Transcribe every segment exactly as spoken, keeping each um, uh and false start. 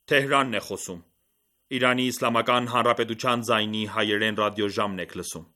Թեհրանն է խոսում։ Իրանի Իսլամական Հանրապետության ձայնի հայերեն ռադիոժամն եք լսում։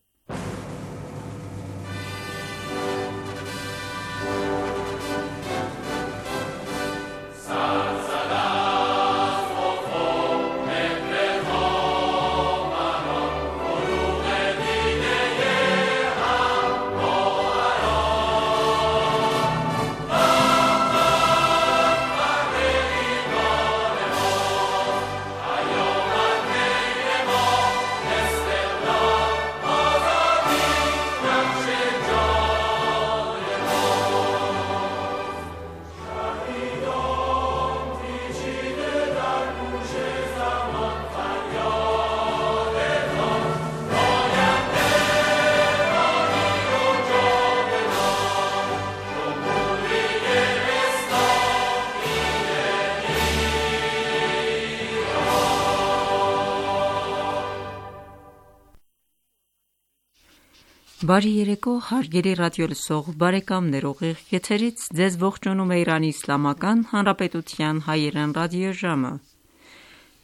Բարի երեկո, հարգելի ռադիոլսող բարեկամներ, ուղիղ եթերից ձեզ ողջունում է Իրանի Իսլամական Հանրապետության հայերեն ռադիոժամը։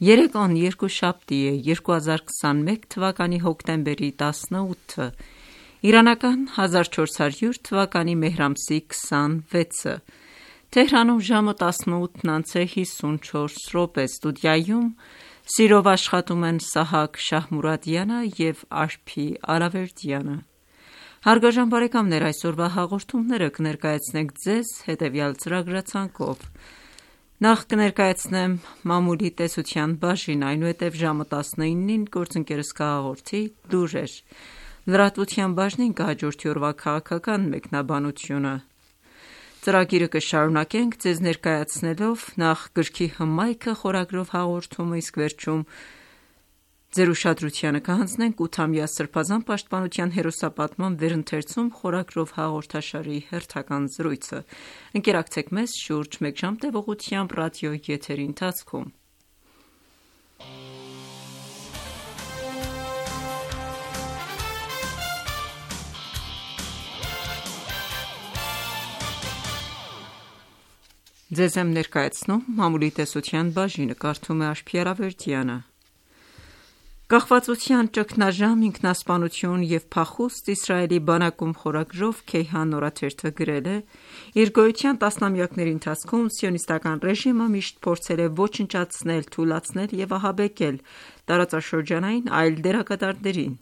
Երեկոն երկուշաբթի է, երկու հազար քսանմեկ թվականի հոկտեմբերի տասնութը, իրանական հազար չորս հարյուր թվականի մեհր ամսի քսանվեցը, Թեհրանում ժամը տասնութն անց է հիսունչորս րոպե, ստուդիայում սիրով աշխատում են Սահակ Շահմուրադյանը և Արփի Արավերդյանը։ Հարգարժան բարեկամներ, այսօրվա հաղորդումները կներկայացնենք ձեզ հետևյալ ծրագրացանկով։ Նախ կներկայացնեմ մամուլի տեսության բաժին, այնուհետև ժամը տասնինին գործընկերս կհաղորդի լուրեր։ Լրատվության բաժնին կհաջորդի օրվա քաղաքական մեկնաբանությունը։ Ծրագիրը կշարունակենք ձեզ ներկայացնելով նախ գրքի հմայքը խորագրով հաղորդումը, իսկ վերջում ձեր ուշադրությանը կհանձնենք ութամյա Սրբազան պաշտպանության հերոսապատման վերընթերցում խորագրով հաղորդաշարի հերթական զրույցը։ Ընկերակցեք մեզ շուրջ մեկ ժամ տևողությամբ ռադիո եթերի ընթացքում։ Ձեզ եմ ներկայացնում մամուլի տեսության բաժինը, կարդում է Արփի Արավերդյանը։ Կախվածության ճգնաժամ, ինքնասպանություն և փախուստ Իսրայելի բանակում խորագրով Քեյհան օրաթերթը գրել է. Իր գոյության տասնամյակների ընթացքում սիոնիստական ռեժիմը միշտ փորձել է ոչնչացնել, թուլացնել և ահաբեկել տարածաշրջանային այլ դերակատարներին,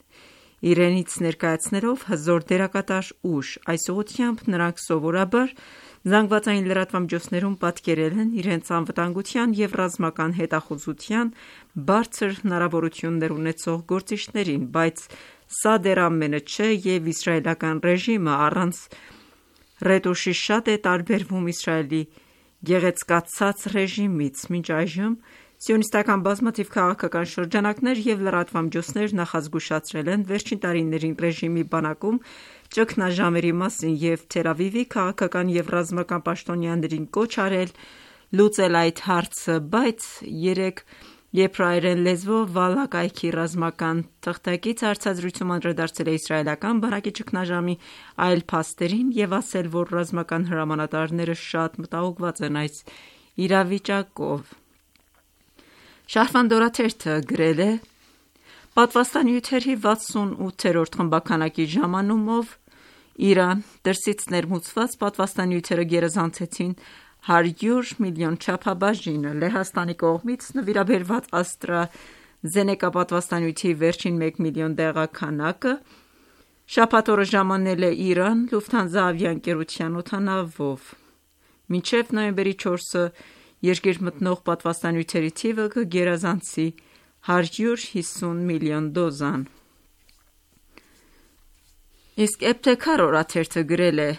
իրենից ներկայացնելով հզոր դերակատար ուժ։ Այս ուղղությամբ նրանք սովորաբար զանգվածային լրատվամիջոցներում պատկերել են իրենց անվտանգության և ռազմական հետախուզության բարձր հնարավորություններ ունեցող գործիչներին, բայց սա դեռ ամենը չէ, և իսրայելական ռեժիմը առանց ռետուշի շատ է տարբերվում Իսրայելի գեղեցկացած ռեժիմից։ Մինչ այժմ սիոնիստական բազմաթիվ քաղաքական շրջանակներ և լրատվամիջոցներ նախազգուշացրել են վերջին տարիներին ռեժիմի բանակում ճգնաժամերի մասին և Թել Ավիվի քաղաքական և ռազմական պաշտոնյաներին կոչ արել լուծել այդ հարցը, բայց երեկ եբրայերեն լեզվով Վալա կայքի ռազմական թղթակից հարցազրույցում անդրադարձել է իսրայելական բանակի ճգնաժամի այլ փաստերին և ասել, որ ռազմական հրամանատարները շատ մտահոգված են այս իրավիճակով։ Շահրվանդ օրաթերթը գրել է. Պատվաստանյութերի վաթսունութերորդ խմբականակի ժամանումով Իրան դրսից ներմուծված պատվաստանյութերը գերազանցեցին հարյուր միլիոն չափաբաժինը։ Լեհաստանի կողմից նվիրաբերված AstraZeneca պատվաստանյութի վերջին մեկ միլիոն դեղաքանակը շաբաթ օրը ժամանել է Իրան Lufthansa ավիաընկերության օդանավով։ Մինչև նոյեմբերի չորսը երկիր մտնող պատվաստանյութերի թիվը կգերազանցի հարյուր հիսուն միլիոն դոզան։ Իսկ Էբթեքար օրաթերթը գրել է.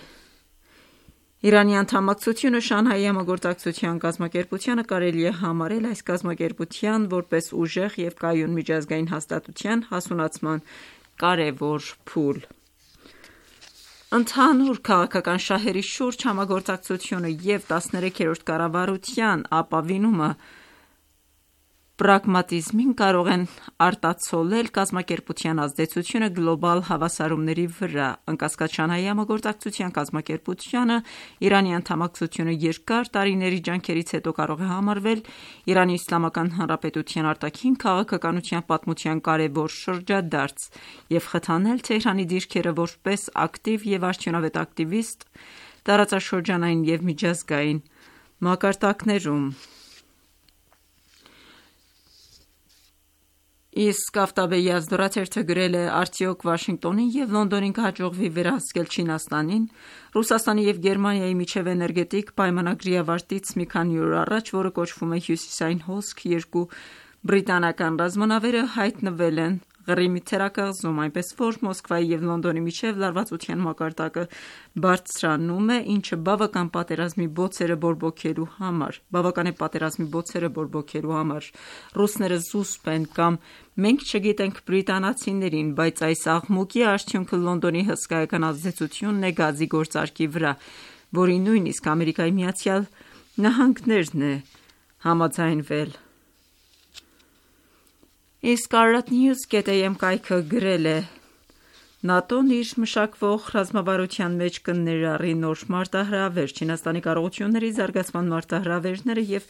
Իրանի անդամակցությունը Շանհայի համագործակցության կազմակերպությանը կարելի է համարել այս կազմակերպության որպես ուժեղ և կայուն միջազգային հաստատության հասունացման կարևոր փուլ։ Ընդհանուր քաղաքական շահերի շուրջ համագործակցությունը և տասներեքերորդ կառավարության ապավինումը պրագմատիզմին կարող են արտացոլել կազմակերպության ազդեցությունը գլոբալ հավասարումների վրա: Անկասկած, Շանհայի համագործակցության կազմակերպությանը Իրանի անդամակցությունը երկար տարիների ջանքերից հետո կարող է համարվել Իրանի Իսլամական Հանրապետության արտաքին քաղաքականության պատմության կարևոր շրջադարձ և խթանել Թեհրանի դիրքերը որպես ակտիվ և արդյունավետ ակտիվիստ տարածաշրջանային և միջազգային մակարդակներում: Իսկ Ավտաբեի Ազդորաթերթը գրել է. «Արդյոք Վաշինգտոնին և Լոնդոնին կհաջողվի վերահսկել Չինաստանին»: Ռուսաստանի և Գերմանիայի միջև էներգետիկ պայմանագրի ավարտից մի քանի օր առաջ, որը կոչվում է Հյուսիսային հոսք, երկու բրիտանական ռազմանավերը հայտնվել են Ղրիմի թերակղզում, այնպես որ Մոսկվայի և Լոնդոնի միջև լարվածության մակարդակը բարձրանում է, ինչը բավական է պատերազմի բոցերը բորբոքելու համար: Ռուսները զուսպ են կամ մենք չգիտենք բրիտանացիներին, բայց այս աղմուկի արդյունքը Լոնդոնի հսկայական ազդեցությունն է գազի գործարքի վրա, որին նույնիսկ ԱՄՆ-ն է համաձայնվել: Իսկ Arlatnews.am կայքը գրել է. «ՆԱՏՕ-ն իր մշակվող ռազմավարության մեջ կներառի նոր մարտահրավեր: Չինաստանի կարողությունների զարգացման մարտահրավերները և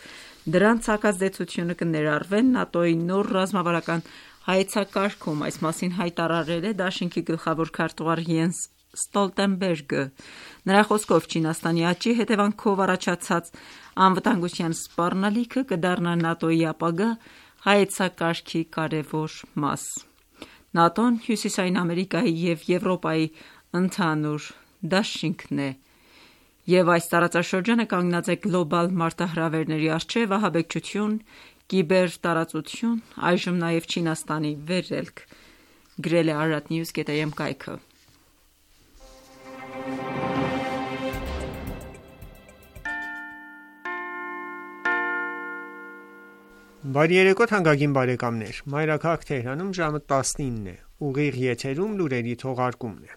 դրանց հակազդեցությունը կներառվեն ՆԱՏՕ-ի նոր ռազմավարական հայեցակարգում»: Այս մասին հայտարարել է Դաշինքի գլխավոր քարտուղար Յենս Ստոլտենբերգը: Նրա խոսքով, Չինաստանի աճի հետևանքով առաջացած անվտանգության սպառնալիքը կդառնա ՆԱՏՕ-ի ապագա հայեցակարգի կարևոր մաս: ՆԱՏՕ-ն Հյուսիսային Ամերիկայի և Եվրոպայի ընդհանուր դաշինքն է և այս տարածաշրջանը կանգնած է գլոբալ մարտահրավերների առջև՝ ահաբեկչություն, կիբերտարածություն, այժմ նաև Չինաստանի վերելք: Գրել է Arlatnews.am կայքը: Բարի երեկո թանկագին բարեկամներ: Մայրաքաղաք Թեհրանում ժամը տասնինն է: Ուղիղ եթերում լուրերի թողարկումն է: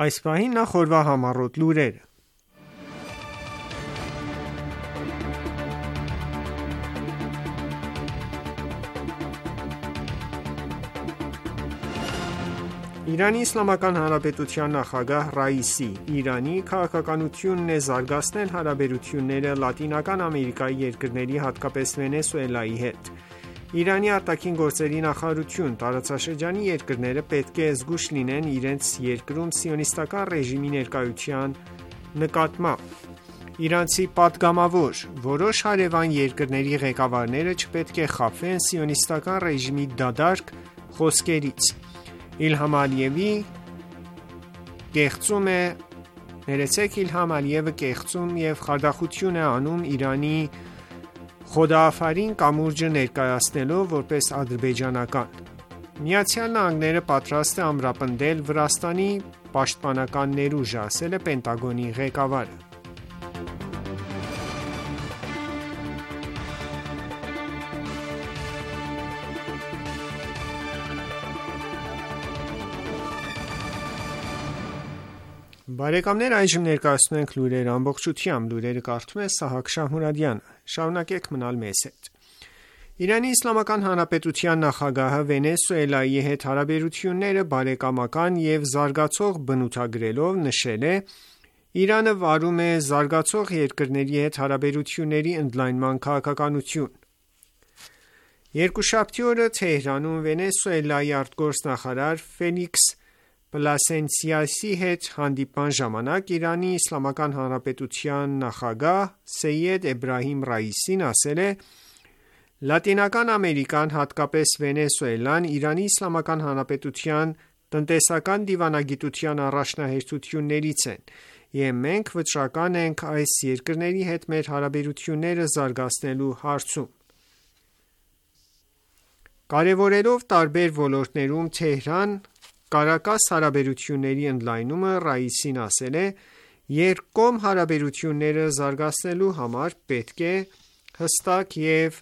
Այս պահին նախ օրվա համառոտ լուրերը: Իրանի Իսլամական Հանրապետության նախագահ Ռայիսի Իրանի քաղաքականությունն է զարգացնել հարաբերությունները Լատինական Ամերիկայի երկրների, հատկապես Վենեսուելայի հետ: Իրանի ԱԳ նախարարություն. Տարածաշրջանի երկրները պետք է զգույշ լինեն իրենց երկրում սիոնիստական ռեժիմի ներկայության նկատմամբ: Իրանցի պատգամավոր. Որոշ հարևան երկրների ղեկավարները չպետք է խաբվեն սիոնիստական ռեժիմի դատարկ խոսքերից: Իլհամ Ալիևը կեղծում և խարդախություն է անում Իրանի Խոդաաֆարին կամուրջը ներկայացնելով որպես ադրբեջանական: ԱՄՆ-ն պատրաստ է ամրապնդել Վրաստանի պաշտպանական ներուժը, ասել է Պենտագոնի ղեկավարը: Բարեկամներ այժմ ներկայացնում ենք լուրերը ամբողջությամբ: Լուրերը կարդում է Սահակ Շահմուրադյանը: Շարունակեք մնալ մեզ հետ: Իրանի Իսլամական Հանրապետության նախագահը Վենեսուելայի հետ հարաբերությունները բարեկամական և զարգացող բնութագրելով, նշել է. «Իրանը վարում է զարգացող երկրների հետ հարաբերությունների ընդլայնման քաղաքականություն»: Երկուշաբթի օրը Թեհրանում Վենեսուելայի արտգործնախարար Ֆելիքս Պլասենսիայի հետ հանդիպման ժամանակ Իրանի Իսլամական Հանրապետության նախագահ Սեյեդ Էբրահիմ Ռայիսին ասել է. «Լատինական Ամերիկան, հատկապես Վենեսուելան, Իրանի Իսլամական Հանրապետության տնտեսական դիվանագիտության առաջնահերթություններից են և մենք վճռական ենք այս երկրների հետ մեր հարաբերությունները զարգացնելու հարցում»: Կարևորելով տարբեր ոլորտներում Թեհրան-Կարակաս հարաբերությունների ընդլայնումը, Ռայիսին ասել է. «Երկկողմ հարաբերությունները զարգացնելու համար պետք է հստակ և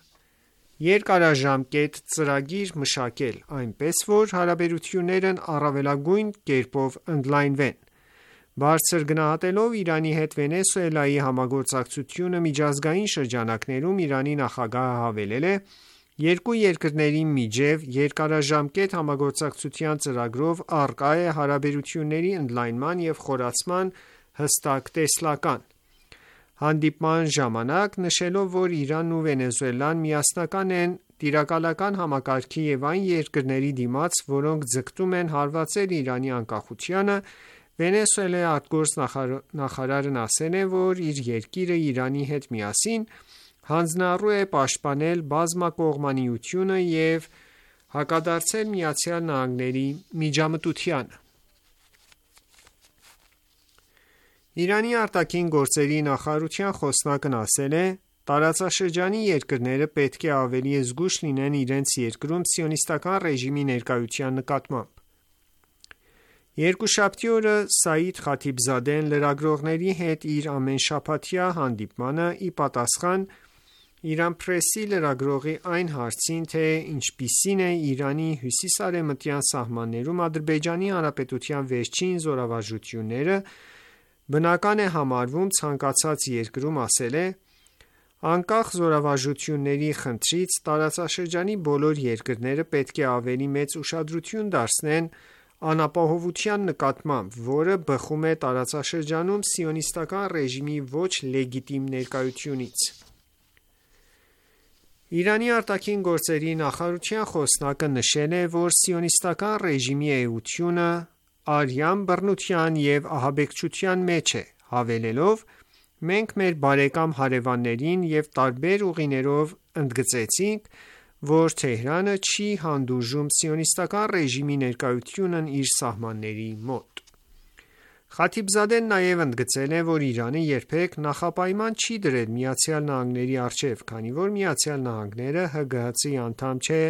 երկարաժամկետ ծրագիր մշակել, այնպես որ հարաբերություններն առավելագույն կերպով ընդլայնվեն: Բարձր գնահատելով Իրանի հետ Վենեսուելայի համագործակցությունը միջազգային շրջանակներում, Իրանի նախագահը հավելել է. «Երկու երկրների միջև երկարաժամկետ համագործակցության ծրագրով առկա է հարաբերությունների ընդլայնման և խորացման հստակ տեսլական»: Հանդիպման ժամանակ նշելով, որ Իրանն ու Վենեսուելան միասնական են տիրակալական համակարգի և այն երկրների դիմաց, որոնք ձգտում են հարվածել Իրանի անկախությանը, Վենեսուելայի ԱԳ նախարարն ասել է, որ իր երկիրը Իրանի հետ միասին հանձնառու է պաշտպանել բազմակողմանիությունը և հակադարձել ԱՄՆ-ի միջամտությանը: Իրանի արտաքին գործերի նախարարության խոսնակն ասել է. «Տարածաշրջանի երկրները պետք է ավելի զգույշ լինեն իրենց երկրում Սիոնիստական ռեժիմի ներկայության նկատմամբ»: Երկուշաբթի օրը Սաիդ Խաթիբզադեն լրագրողների հետ իր ամենաշաբաթյա հանդիպմանը, ի պատասխան Իran Press-ի լրագրողի այն հարցին, թե ինչպիսին է Իրանի հյուսիս-արևմտյան սահմաններում Ադրբեջանի Հանրապետության վերջին զորավարժությունները բնական է համարվում ցանկացած երկրում, ասել է. «Անկախ զորավարժությունների խնդրից տարածաշրջանի բոլոր երկրները պետք է ավելի մեծ ուշադրություն դարձնեն անապահովության նկատմամբ, որը բխում է տարածաշրջանում Սիոնիստական ռեժիմի ոչ լեգիտիմ ներկայությունից»: Իրանի արտաքին գործերի նախարարության խոսնակը նշել է, որ Սիոնիստական ռեժիմի էությունը արյան բռնության և ահաբեկչության մեջ է, հավելելով. «Մենք մեր բարեկամ հարևաններին և տարբեր ուղիներով ընդգծեցինք, որ Թեհրանը չի հանդուրժում Սիոնիստական ռեժիմի ներկայությունն իր սահմանների մոտ»: Խաթիբզադեն նաև ընդգծել է, որ Իրանը երբեք նախապայման չի դրել ԱՄՆ-ի առջև, քանի որ ԱՄՆ-ն ՀԳՀԾ-ի անդամ չէ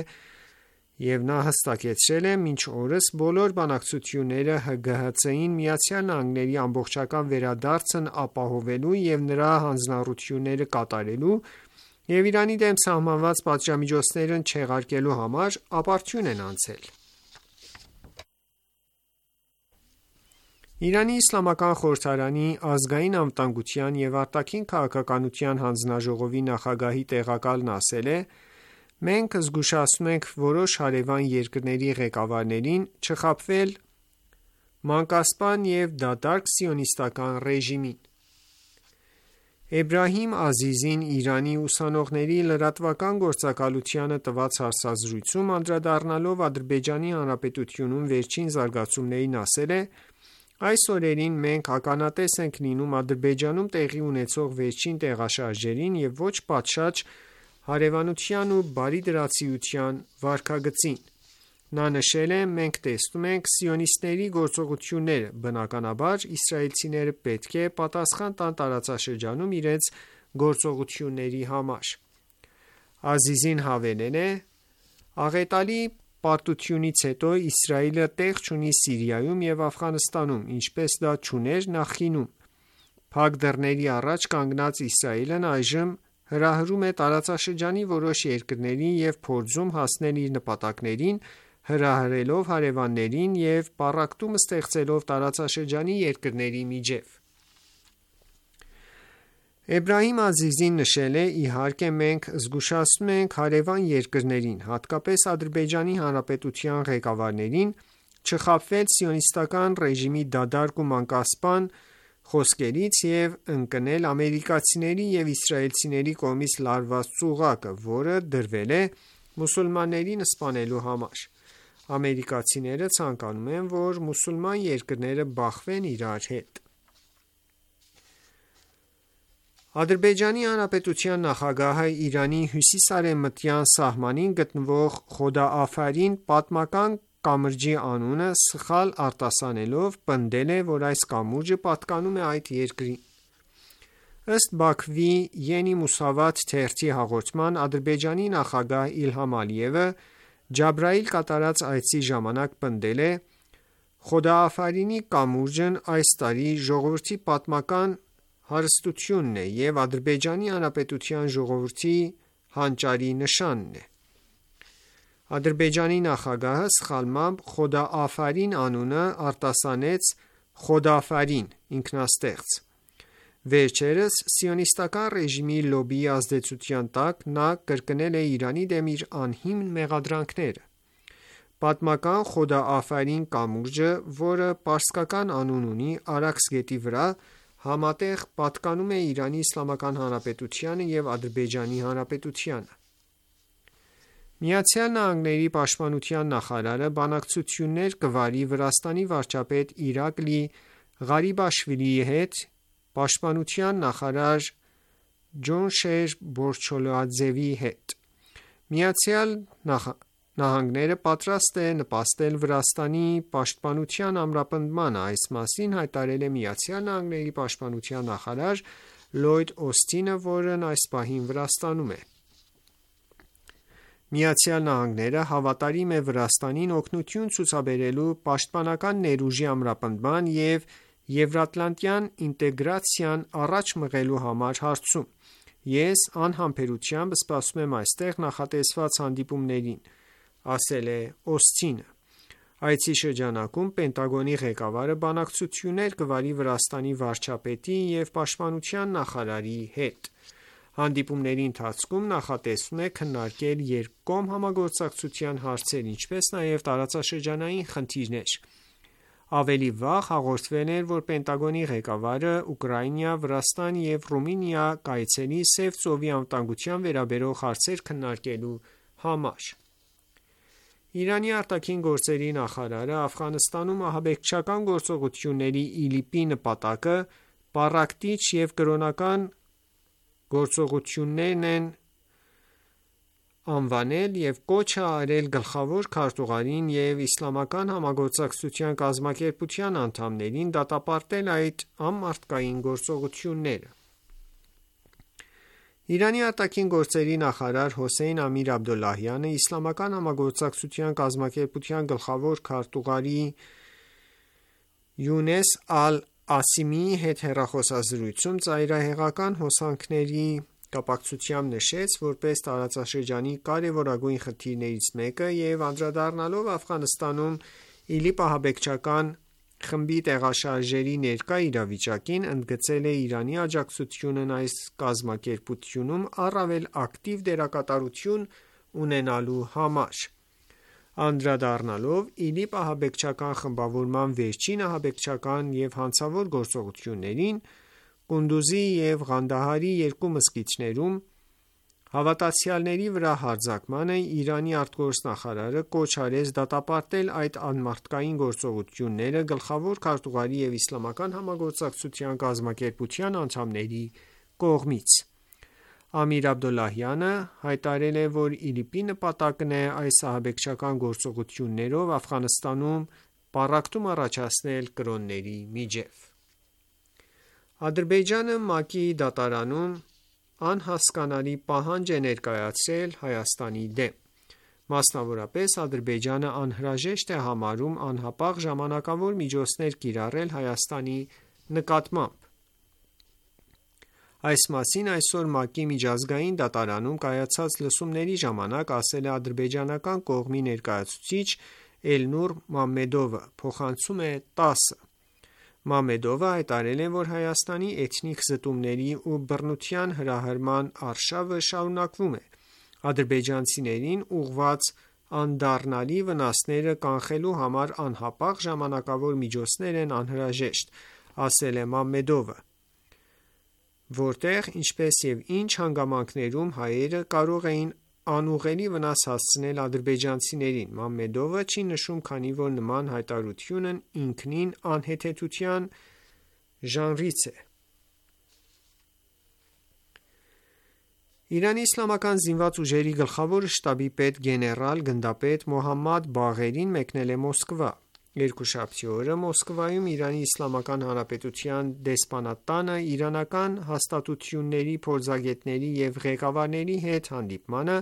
և նա հստակեցրել է. «Մինչ օրս բոլոր բանակցությունները ՀԳՀԾ-ին ԱՄՆ-ի ամբողջական վերադարձն ապահովելու և նրա հանձնառությունները կատարելու և Իրանի դեմ սահմանված պատժամիջոցներն չեղարկելու համար ապարդյուն են անցել»: Իրանի իսլամական խորհրդարանի ազգային անվտանգության և արտաքին քաղաքականության հանձնաժողովի նախագահի տեղակալն ասել է. «Մենք զգուշացնում ենք որոշ հարևան երկրների ղեկավարներին չխաբվել մանկասպան և դատարկ սիոնիստական ռեժիմին»: Էբրահիմ Ազիզին Իրանի ուսանողների լրատվական գործակալությանը տված հարցազրույցում անդրադառնալով Ադրբեջանի Հանրապետությունում վերջին զարգացումներին, ասել է. «Այս օրերին մենք ականատես ենք լինում Ադրբեջանում տեղի ունեցող վերջին տեղաշարժերին և ոչ պատշաճ հարևանության ու բարիդրացիության վարքագծին»: Նա նշել է. «Մենք տեսնում ենք սիոնիստների գործողությունները, բնականաբար իսրայելցիները պետք է պատասխան տան տարածաշրջանում իրենց գործողությունների համար»: Ազիզին հավելել է. «Աղետալի պարտությունից հետո Իսրայելը տեղ չունի Սիրիայում և Աֆղանստանում, ինչպես դա չուներ նախկինում: Փակ դռների առաջ կանգնած Իսրայելն այժմ հրահրում է տարածաշրջանի որոշ երկրներին և փորձում հասնել իր նպատակներին հրահրելով հարևաններին և պառակտում ստեղծելով տարածաշրջանի երկրների միջև»: Էբրահիմ Ազիզին նշել է. «Իհարկե մենք զգուշացնում ենք հարևան երկրներին, հատկապես Ադրբեջանի Հանրապետության ղեկավարներին չխաբվել Սիոնիստական ռեժիմի դատարկ ու մանկասպան խոսքերից և ընկնել ամերիկացիների և իսրայելցիների կողմից լարված ծուղակը, որը դրվել է մուսուլմաններին սպանելու համար: Ամերիկացիները ցանկանում են, որ մուսուլման երկրները բախվեն իրար հետ»: Ադրբեջանի Հանրապետության նախագահը Իրանի հյուսիս-արևմտյան սահմանին գտնվող Խոդաաֆարին պատմական կամրջի անունը սխալ արտասանելով, պնդել է, որ այս կամուրջը պատկանում է այդ երկրին: Ըստ Բաքվի Ենի Մուսավաթ թերթի հաղորդման, Ադրբեջանի նախագահ Իլհամ Ալիևը Ջաբրայիլ կատարած այցի ժամանակ պնդել է. «Խոդաաֆարինի կամուրջն այս տարի ժողովրդի պատմական հարստությունն է և Ադրբեջանի Հանրապետության ժողովրդի հանճարի նշանն է։ Ադրբեջանի նախագահը սխալմամբ Խոդա Աֆարին անունը արտասանեց Խոդաֆարին ինքնաստեղծ։ Վերջերս սիոնիստական ռեժիմի լոբբիի ազդեցության տակ նա կրկնել է Իրանի դեմ իր անհիմն մեղադրանքները։ Պատմական Խոդա Աֆարին կամուրջը, որը պարսկական անուն ունի Արաքս գետի վրա, համատեղ պատկանում է Իրանի Իսլամական Հանրապետությանը և Ադրբեջանի Հանրապետությանը։ Միացյալ Նահանգների պաշտպանության նախարարը բանակցություններ կվարի Վրաստանի վարչապետ Իրակլի Ղարիբաշվիլիի հետ, պաշտպանության նախարար Ջոնշեր Բորչոլադզեվի հետ։ Միացյալ Նահանգները պատրաստ է նպաստել Վրաստանի պաշտպանության ամրապնդմանը, այս մասին հայտարարել է Միացյալ Նահանգների պաշտպանության նախարար Լլոյդ Օսթինը, որն այս պահին Վրաստանում է։ Միացյալ Նահանգները հավատարիմ է Վրաստանին օգնություն ցուցաբերելու պաշտպանական ներուժի ամրապնդման և եվրատլանտյան ինտեգրացիան առաջ մղելու համար հարցում։ Ես անհամբերությամբ սպասում եմ այստեղ նախատեսված հանդիպումներին, ասել է Օսթինը։ Այցի շրջանակում Պենտագոնի ղեկավարը բանակցություններ կվարի Վրաստանի վարչապետի և պաշտպանության նախարարի հետ։ Հանդիպումների ընթացքում նախատեսվում է քննարկել երկկողմ համագործակցության հարցեր, ինչպես նաև տարածաշրջանային խնդիրներ։ Ավելի վաղ հաղորդվել էր, որ Պենտագոնի ղեկավարը Ուկրաինա, Վրաստան և Ռումինիա կայցելի Սև ծովի անվտանգության վերաբերող հարցեր քննարկելու համար։ Իրանի արտաքին գործերի նախարարը Աֆղանստանում ահաբեկչական գործողությունների ԻԼԻՊ-ի նպատակը պառակտիչ և կրոնական գործողություններ են անվանել և կոչ է արել գլխավոր քարտուղարին և Իսլամական համագործակցության կազմակերպության անդամներին դատապարտել այդ անմարդկային գործողությունները։ Իրանի արտաքին գործերի նախարար Հոսեյն Ամիր Աբդոլլահյանը Իսլամական համագործակցության կազմակերպության գլխավոր քարտուղարի Յունես Ալ-Ասիմիի հետ հեռախոսազրույցում ծայրահեղական հոսանքների կապակցությամբ նշեց որպես տարածաշրջանի կարևորագույն խնդիրներից մեկը և անդրադառնալով Աֆղանստանում ԻԼԻՊ ահաբեկչական խմբի տեղաշարժերի ներկա իրավիճակին, ընդգծել է Իրանի աջակցությունն այս կազմակերպությունում առավել ակտիվ դերակատարություն ունենալու համար։ Անդրադառնալով ԻԼԻՊ ահաբեկչական խմբավորման վերջին ահաբեկչական և հանցավոր գործողություններին Կունդուզի և Ղանդահարի երկու մզկիթներում հավատացյալների վրա հարձակմանը, Իրանի ԱԳ կոչ արեց դատապարտել այդ անմարդկային գործողությունները գլխավոր քարտուղարի և Իսլամական համագործակցության կազմակերպության անդամների կողմից։ Ամիր Աբդոլլահյանը հայտարարել է, որ ԻԼԻՊ-ի նպատակն է այս ահաբեկչական գործողություններով Աֆղանստանում պառակտում առաջացնել կրոնների միջև։ Ադրբեջանը ՄԱԿ-ի դատարանում անհասկանալի պահանջ է ներկայացրել Հայաստանի դեմ։ Մասնավորապես, Ադրբեջանը անհրաժեշտ է համարում անհապաղ ժամանակավոր միջոցներ կիրառել Հայաստանի նկատմամբ։ Այս մասին այսօր ՄԱԿ-ի միջազգային դատարանում կայացած լսումների ժամանակ ասել է ադրբեջանական կողմի ներկայացուցիչ Էլնուր Մամմեդովը, փոխանցում է տասը։ Մամմեդովը հայտարարել է, որ Հայաստանի էթնիկ զտումների ու բռնության հրահրման արշավը շարունակվում է։ Ադրբեջանցիներին ուղղված անդառնալի վնասները կանխելու համար անհապաղ ժամանակավոր միջոցներ են անհրաժեշտ, ասել է Մամմեդովը, որտեղ, ինչպես և ինչ հանգամանքներում հայերը կարող էին անուղղելի վնաս հասցնել ադրբեջանցիներին։ Մամմեդովը չի նշում, քանի որ նման հայտարարությունն ինքնին անհեթեթության ժանրից է։ Իրանի իսլամական զինված ուժերի գլխավոր շտաբի պետ գեներալ գնդապետ Մոհամմադ Բաղերին մեկնել է Մոսկվա։ Երկուշաբթի օրը Մոսկվայում Իրանի Իսլամական Հանրապետության դեսպանատանը իրանական հաստատությունների փորձագետների և ղեկավարների հետ հանդիպմանը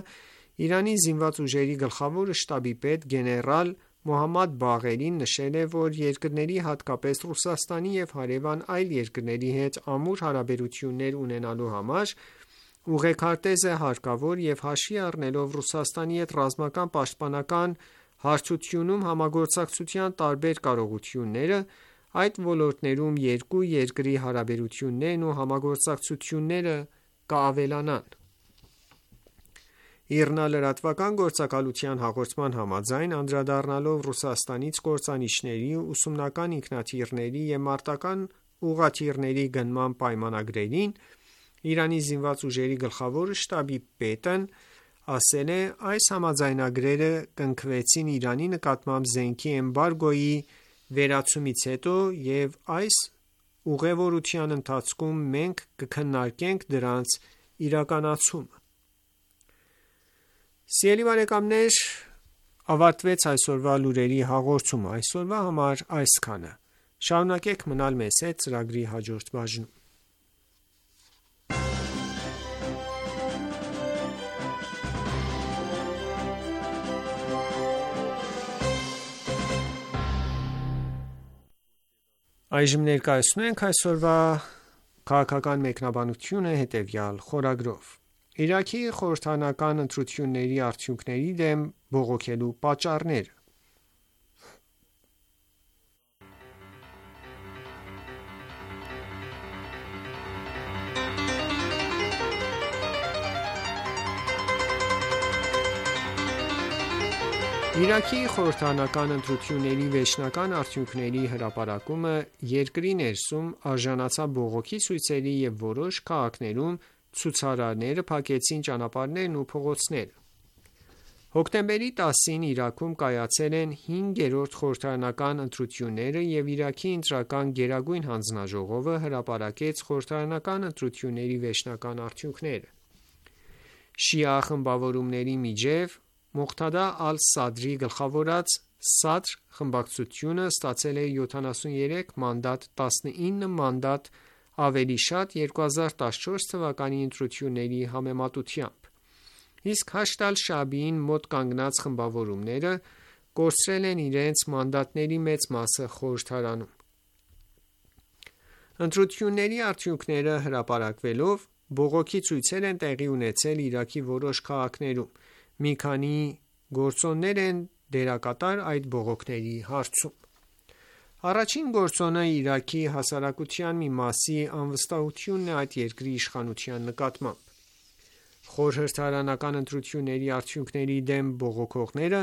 Իրանի զինված ուժերի գլխավոր շտաբի պետ գեներալ Մոհամմադ Բաղերին նշել է, որ երկրների, հատկապես Ռուսաստանի և հարևան այլ երկրների հետ ամուր հարաբերություններ ունենալու համար ուղեքարտեզ է հարկավոր և հաշվի առնելով Ռուսաստանի հետ ռազմական պաշտպանական հարթությունում համագործակցության տարբեր կարողությունները, այդ ոլորտներում երկու երկրի հարաբերություններն ու համագործակցությունները կավելանան: Իռնա-լրատվական գործակալության հաղորդման համաձայն, անդրադառնալով Ռուսաստանից կործանիչների, ուսումնական ինքնաթիռների և մարտական ուղղաթիռների գնման պայմանագրերին, Իրանի զինված ուժերի գլխավոր շտաբի պետն ասել է. «Այս համաձայնագրերը կնքվեցին Իրանի նկատմամբ զենքի էմբարգոյի վերացումից հետո և այս ուղևորության ընթացքում մենք կքննարկենք դրանց իրականացումը»: Սիրելի բարեկամներ, ավարտվեց այսօրվա լուրերի հաղորդումը: Այսօրվա համար այսքանը: Շարունակեք մնալ մեզ հետ ծրագրի հաջորդ բաժնում: Այժմ ներկայացնում ենք այսօրվա քաղաքական մեկնաբանությունը հետևյալ խորագրով: Իրաքի խորհրդարանական ընտրությունների արդյունքների դեմ բողոքելու պատճառները: Իրաքի խորհրդարանական ընտրությունների վերջնական արդյունքների հրապարակումը երկրի ներսում արժանացավ բողոքի ցույցերի և որոշ քաղաքներում ցուցարարները փակեցին ճանապարհներն ու փողոցները: Հոկտեմբերի տասին Իրաքում կայացել են հինգերորդ խորհրդարանական ընտրությունները և Իրաքի ընտրական գերագույն հանձնաժողովը հրապարակեց խորհրդարանական ընտրությունների վերջնական արդյունքները: Շիա խմբավորումների միջև Մողթադա ալ-Սադրի գլխավորած «Սադր» խմբակցությունը ստացել է յոթանասուններեք մանդատ տասնինը մանդատ ավելի շատ երկու հազար տասնչորս թվականի ընտրությունների համեմատությամբ: Իսկ Հաշդ ալ-Շաաբիին մոտ կանգնած խմբավորումները կորցրել են իրենց մանդատների մեծ մասը խորհրդարանում: Ընտրությունների արդյունքները հրապարակվելով, բողոքի ցույցեր են տեղի ունեցել Իրաքի որոշ քաղաքներում: Մի քանի գործոններ են դերակատար այդ բողոքների հարցում: Առաջին գործոնը Իրաքի հասարակության մի մասի անվստահությունն է այդ երկրի իշխանության նկատմամբ: Խորհրդարանական ընտրությունների արդյունքների դեմ բողոքողները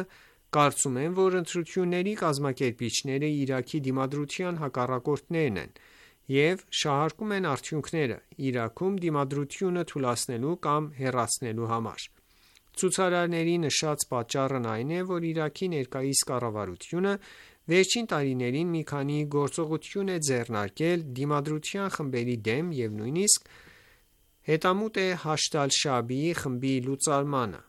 կարծում են, որ ընտրությունների կազմակերպիչները Իրաքի դիմադրության հակառակորդներն են և շահարկում են արդյունքները՝ Իրաքում դիմադրությունը թուլացնելու կամ հեռացնելու համար: Ցուցարարների նշած պատճառն այն է, որ Իրաքի ներկայիս կառավարությունը վերջին տարիներին մի քանի գործողություն է ձեռնարկել դիմադրության խմբերի դեմ և նույնիսկ հետամուտ է Հաշդ ալ-Շաաբիի խմբի լուծարմանը: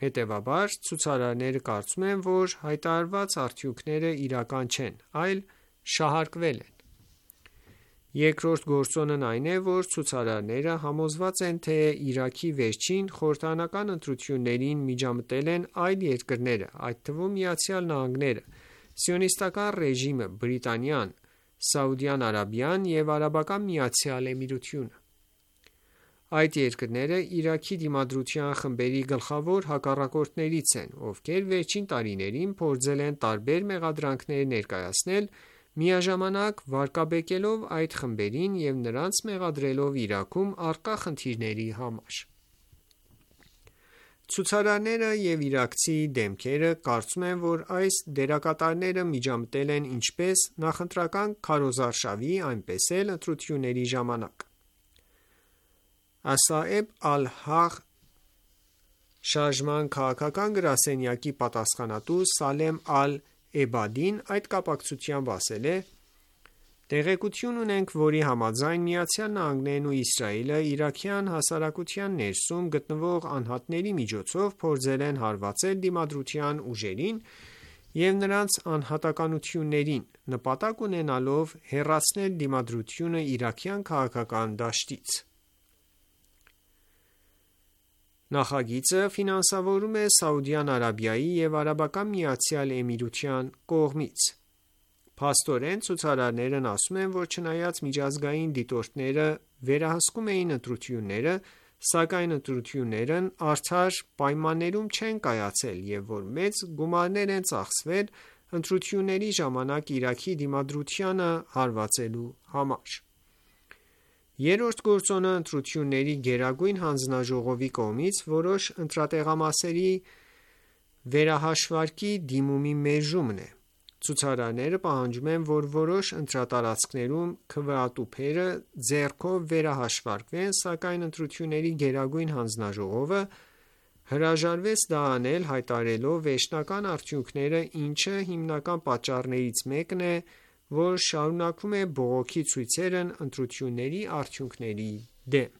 Հետևաբար, ցուցարարները կարծում են, որ հայտարարված արդյունքները իրական չեն, այլ շահարկվել են: Երկրորդ գործոնն այն է, որ ցուցարարները համոզված են, թե Իրաքի վերջին խորհրդարանական ընտրություններին միջամտել են այլ երկրներ, այդ թվում ԱՄՆ-ը, Սիոնիստական ռեժիմը, Բրիտանիան, Սաուդյան Արաբիան և Արաբական Միացյալ Էմիրությունը: Այդ երկրները Իրաքի դիմադրության խմբերի գլխավոր հակառակորդներից են, ովքեր վերջին տարիներին փորձել են տարբեր մեղադրանքներ ներկայացնել, միաժամանակ վարկաբեկելով այդ խմբերին և նրանց մեղադրելով Իրաքում առկա խնդիրների համար: Ցուցարարները և իրաքցի դեմքերը կարծում են, որ այս դերակատարները միջամտել են ինչպես նախընտրական քարոզարշավի, այնպես էլ ընտրությունների ժամանակ: «Ասաեբ Ալ-Հաղ» շարժման քաղաքական գրասենյակի պատասխանատու Սալեմ Ալ-Էբադին այդ կապակցությամբ ասել է. «Տեղեկություն ունենք, որի համաձայն ԱՄՆ-ն ու Իսրայելը իրաքյան հասարակության ներսում գտնվող անհատների միջոցով փորձել են հարվածել դիմադրության ուժերին և նրանց անհատականություններին՝ նպատակ ունենալով հեռացնել դիմադրությունը իրաքյան քաղաքական դաշտից»: Նախագիծը ֆինանսավորվում է Սաուդյան Արաբիայի և Արաբական Միացյալ Էմիրության կողմից: Փաստորեն, ցուցարարներն ասում են, որ չնայած միջազգային դիտորդները վերահսկում էին ընտրությունները, սակայն ընտրություններն արդար պայմաններում չեն կայացել և որ մեծ գումարներ են ծախսվել ընտրությունների ժամանակ Իրաքի դիմադրությանը հարվածելու համար: Երրորդ գործոնը ընտրությունների գերագույն հանձնաժողովի կողմից որոշ ընտրատեղամասերի վերահաշվարկի դիմումի մերժումն է: Ցուցարարները պահանջում են, որ որոշ ընտրատարածքներում քվեատուփերը ձեռքով վերահաշվարկվեն, սակայն ընտրությունների գերագույն հանձնաժողովը հրաժարվեց դա անել, հայտարարելով վերջնական արդյունքները, ինչը հիմնական պատճառներից մեկն է, որ շարունակվում է բողոքի ցույցերն ընտրությունների արդյունքների դեմ: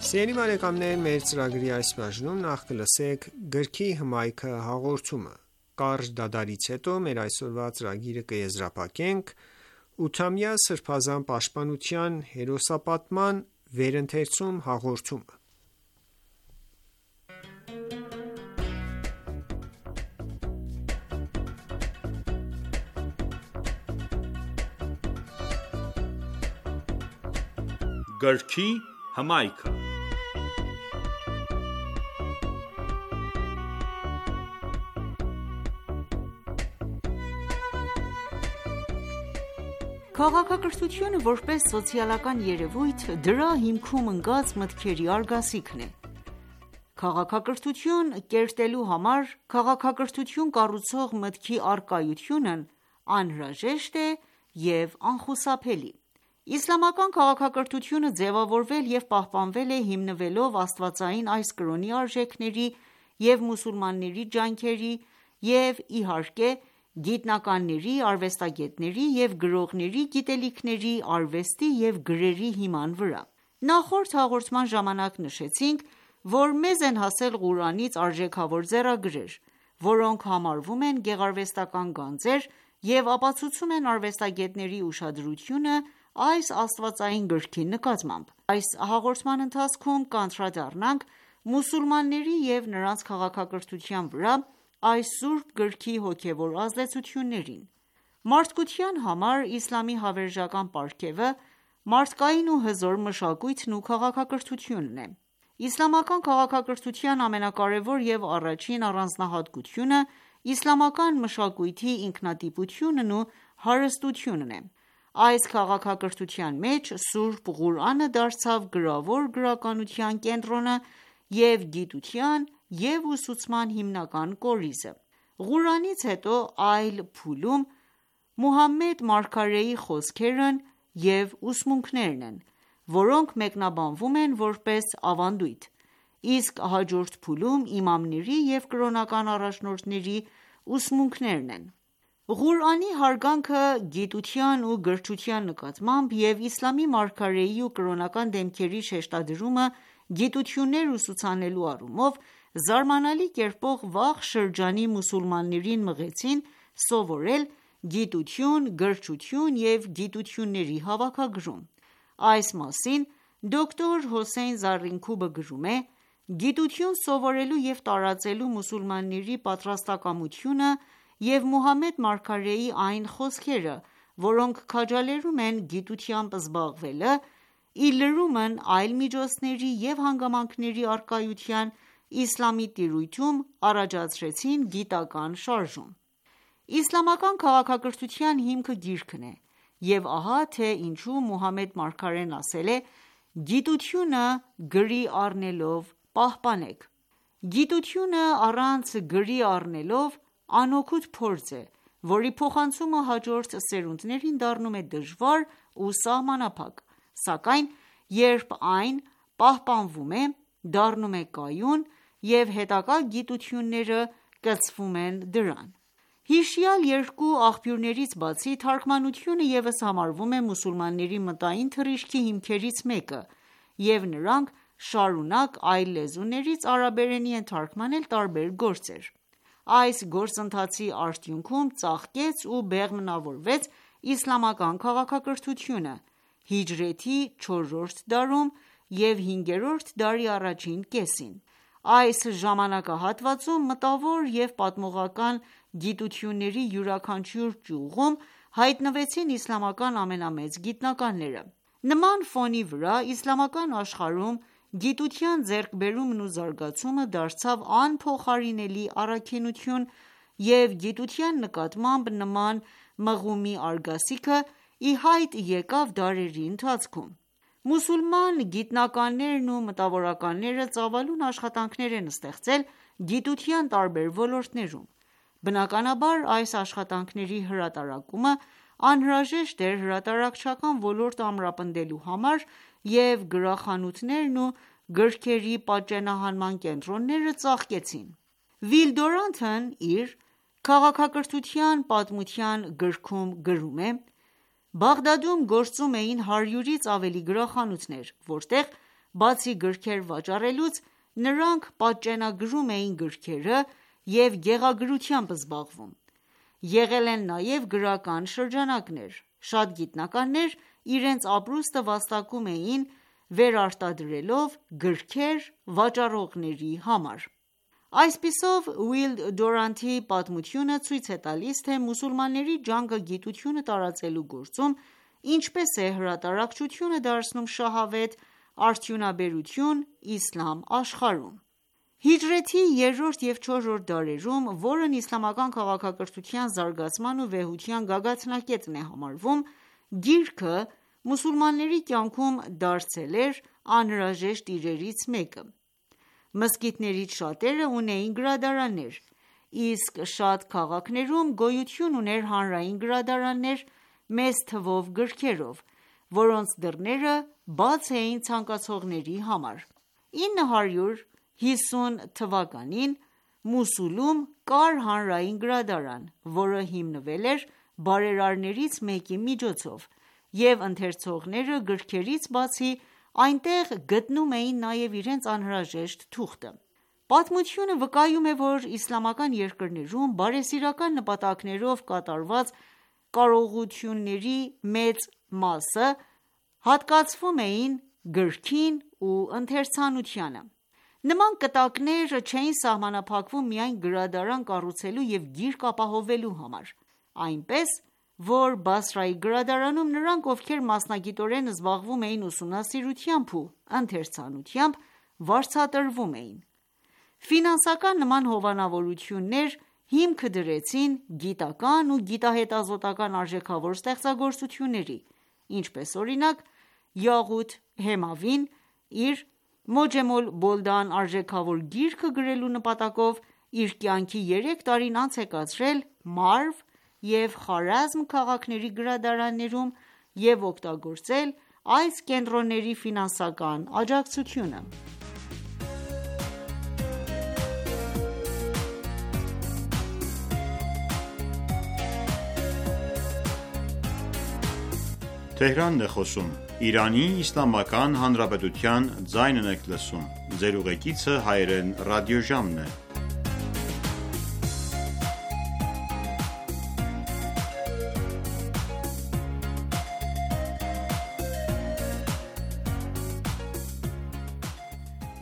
Մեր ծրագրի այս բաժնում նախ կլսենք գրքի հմայքը հաղորդումը: Կարճ դադարից հետո մեր այսօրվա ծրագիրը կեզրափակենք ութամյա սրբազան պաշտպանության հերոսապատման վերընթերցում հաղորդումը: Գրքի հմայքը Քաղաքակրթությունը որպես սոցիալական երևույթ դրա հիմքում ընկած մտքերի արգասիքն է: Քաղաքակրթություն կերտելու համար քաղաքակրթություն կառուցող մտքի առկայությունն անհրաժեշտ է և անխուսափելի: Իսլամական քաղաքակրթությունը ձևավորվել և պահպանվել է հիմնվելով աստվածային այս կրոնի արժեքների և մուսուլմանների ջանքերի և իհարկե գիտնականների, արվեստագետների և գրողների գիտելիքների, արվեստի և գրերի հիման վրա: Նախորդ հաղորդման ժամանակ նշեցինք, որ մեզ են հասել Ղուրանից արժեքավոր ձեռագրեր, որոնք համարվում են գեղարվեստական գանձեր և ապացուցում են արվեստագետների ուշադրությունը այս աստվածային գրքի նկատմամբ: Այս հաղորդման ընթացքում կանդրադառնանք մուսուլմանների և նրանց քաղաքակրթության վրա այս սուրբ գրքի հոգևոր ազդեցություններին: Մարդկության համար իսլամի հավերժական պարգևը մարդկային ու հզոր մշակույթն ու քաղաքակրթությունն է: Իսլամական քաղաքակրթության ամենակարևոր և առաջին առանձնահատկությունը իսլամական մշակույթի ինքնատիպությունն ու հարստությունն է: Այս քաղաքակրթության մեջ սուրբ Ղուրանը դարձավ գրավոր գրականության կենտրոնը և գիտության և ուսուցման հիմնական կորիզը: Ղուրանից հետո այլ փուլում Մուհամմեդ մարգարեի խոսքերն և ուսմունքներն են, որոնք մեկնաբանվում են որպես ավանդույթ, իսկ հաջորդ փուլում իմամների և կրոնական առաջնորդների ուսմունքներն են: Ղուրանի հարգանքը գիտության ու գրչության նկատմամբ և իսլամի մարգարեի ու կրոնական դեմքերի շեշտադրումը գիտություններ ուսուցանելու առումով զարմանալի կերպով վաղ շրջանի մուսուլմաններին մղեցին սովորել գիտություն, գրչություն և գիտությունների հավաքագրում: Այս մասին դոկտոր Հոսեյն Զարինքուբը գրում է. «Գիտություն սովորելու և տարածելու մուսուլմանների պատրաստակամությունը և Մուհամմեդ մարգարեի այն խոսքերը, որոնք քաջալերում են գիտությամբ զբաղվելը, ի լրումն այլ միջոցների և հանգամանքների առկայության, իսլամի տիրույթում առաջացրեցին գիտական շարժում: Իսլամական քաղաքակրթության հիմքը գիրքն է և ահա թե ինչու Մուհամմեդ մարգարեն ասել է. «Գիտությունը գրի առնելով պահպանեք»: Գիտությունը առանց գրի առնելով անօգուտ փորձ է, որի փոխանցումը հաջորդ սերունդներին դառնում է դժվար ու սահմանափակ, սակայն երբ այն պահպանվում է, դառնում է կայուն և հետագա գիտությունները կցվում են դրան: Հիշյալ երկու աղբյուրներից բացի, թարգմանությունը ևս համարվում է մուսուլմանների մտային թռիչքի հիմքերից մեկը և նրանք շարունակ այլ լեզուներից արաբերենի են թարգմանել տարբեր գործեր: Այս գործընթացի արդյունքում ծաղկեց ու բեղմնավորվեց իսլամական քաղաքակրթությունը հիջրեթի չորրորդ դարում և հինգերորդ դարի առաջին կեսին։ Այս ժամանակահատվածում մտավոր և պատմողական գիտությունների յուրաքանչյուր ճյուղում հայտնվեցին իսլամական ամենամեծ գիտնականները։ Նման ֆոնի վրա իսլամական աշխարհում գիտության ձեռքբերումն ու զարգացումը դարձավ անփոխարինելի առաքինություն, և գիտության նկատմամբ նման մղումի արգասիքը ի հայտ եկավ դարերի ընթացքում։ Մուսուլման գիտնականներն ու մտավորականները ծավալուն աշխատանքներ են ստեղծել գիտության տարբեր ոլորտներում։ Բնականաբար, այս աշխատանքների հրատարակումը անհրաժեշտ էր հրատարակչական ոլորտը ամրապնդելու համար, և գրախանութներն ու գրքերի պատճենահանման կենտրոնները ծաղկեցին։ Վիլ Դյուրանտն իր «Քաղաքակրթության պատմության» գրքում գրում է.«Բաղդադում գործում էին հարյուրից ավելի գրախանութներ, որտեղ բացի գրքեր վաճառելուց, նրանք պատճենագրում էին գրքերը և գեղագրությամբ զբաղվում։ Եղել են նաև գրական շրջանակներ։ Շատ գիտնականներ իրենց ապրուստը վաստակում էին վերարտադրելով գրքեր վաճառողների համար»։ Այսպիսով, Վիլ Դյուրանտի պատմությունը ցույց է տալիս, թե մուսուլմանների ջանքը գիտությունը տարածելու գործում ինչպես է հրատարակչությունը դարձնում շահավետ արդյունաբերություն իսլամ աշխարհում։ Հիջրեթի երրորդ և չորրորդ դարերում, որն իսլամական քաղաքակրթության զարգացման ու վեհության գագաթնակետն է համարվում, գիրքը մուսուլմանների կյանքում դարձել էր անհրաժեշտ իրերից մեկը։ Մզկիթներից շատերը ունեին գրադարաններ, իսկ շատ քաղաքներում գոյություն ուներ հանրային գրադարաններ մեծ թվով գրքերով, որոնց դռները բաց էին ցանկացողների համար։ Ինը հարյուր հիսուն թվականին Մոսուլում կար հանրային գրադարան, որը հիմնվել էր բարերարներից մեկի միջոցով, և ընթերցողները գրքերից բացի այնտեղ գտնում էին նաև իրենց անհրաժեշտ թուղթը։ Պատմությունը վկայում է, որ իսլամական երկրներում բարեսիրական նպատակներով կատարված կարողությունների մեծ մասը հատկացվում էին գրքին ու ընթերցանությանը։ Նման կտակներ չէին սահմանափակվում միայն գրադարան կառուցելու և գիրք ապահովելու համար, այնպես որ Բասրայի գրադարանում նրանք, ովքեր մասնագիտորեն զբաղվում էին ուսումնասիրությամբ ու ընթերցանությամբ, վարձատրվում էին։ Ֆինանսական նման հովանավորություններ հիմք դրեցին գիտական ու գիտահետազոտական արժեքավոր ստեղծագործությունների, ինչպես օրինակ Յաղութ Հեմավին իր «Մոջեմ ալ-Բոլդան» արժեքավոր գիրքը գրելու նպատակով իր կյանքի երեք տարին անց է կացրել Մարվ և Խարազմ քաղաքների գրադարաններում և օգտագործել այս կենտրոնների ֆինանսական աջակցությունը։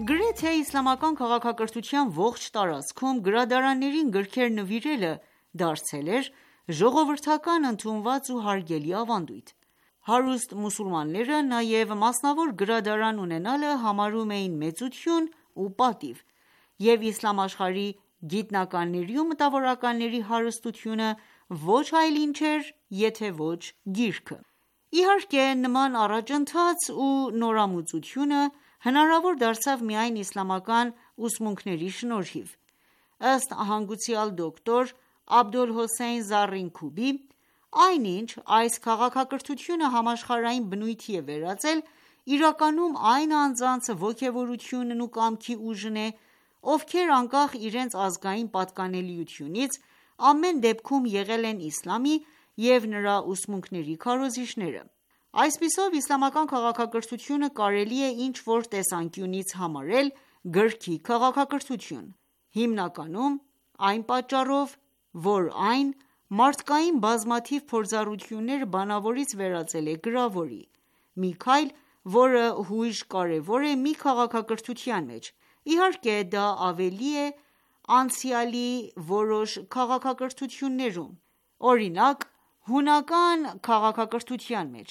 Գրեթե իսլամական քաղաքակրթության ողջ տարածքում գրադարաններին գրքեր նվիրելը դարձել էր ժողովրդական ընդունված ու հարգելի ավանդույթ։ Հարուստ մուսուլմանները նաև մասնավոր գրադարան ունենալը համարում էին մեծություն ու պատիվ, և իսլամ աշխարհի գիտնականների ու մտավորականների հարստությունը ոչ այլ ինչ էր, եթե ոչ գիրքը։ Իհարկե, նման առաջընթաց ու նորամուծությունը հնարավոր դարձավ միայն իսլամական ուսմունքների շնորհիվ։ Ըստ հանգուցյալ դոկտոր Աբոլհոսեյն Զառինքուբի, այնինչ այս քաղաքակրթությունը համաշխարհային բնույթի է վերածել, իրականում այն անձանց ոգևորությունն ու կամքի ուժն է, ովքեր անկախ իրենց ազգային պատկանելիությունից, ամեն դեպքում եղել են իսլամի և նրա ուսմունքների քարոզիչները։ Այսպիսով, իսլամական քաղաքակրթությունը կարելի է ինչ-որ տեսանկյունից համարել գրքի քաղաքակրթություն, հիմնականում այն պատճառով, որ այն մարդկային բազմաթիվ փորձառությունները բանավորից վերածել է գրավորի, մի քայլ, որը հույժ կարևոր է մի քաղաքակրթության մեջ: Իհարկե, դա ավելի է անցյալի որոշ քաղաքակրթություններում, օրինակ՝ հունական քաղաքակրթության մեջ,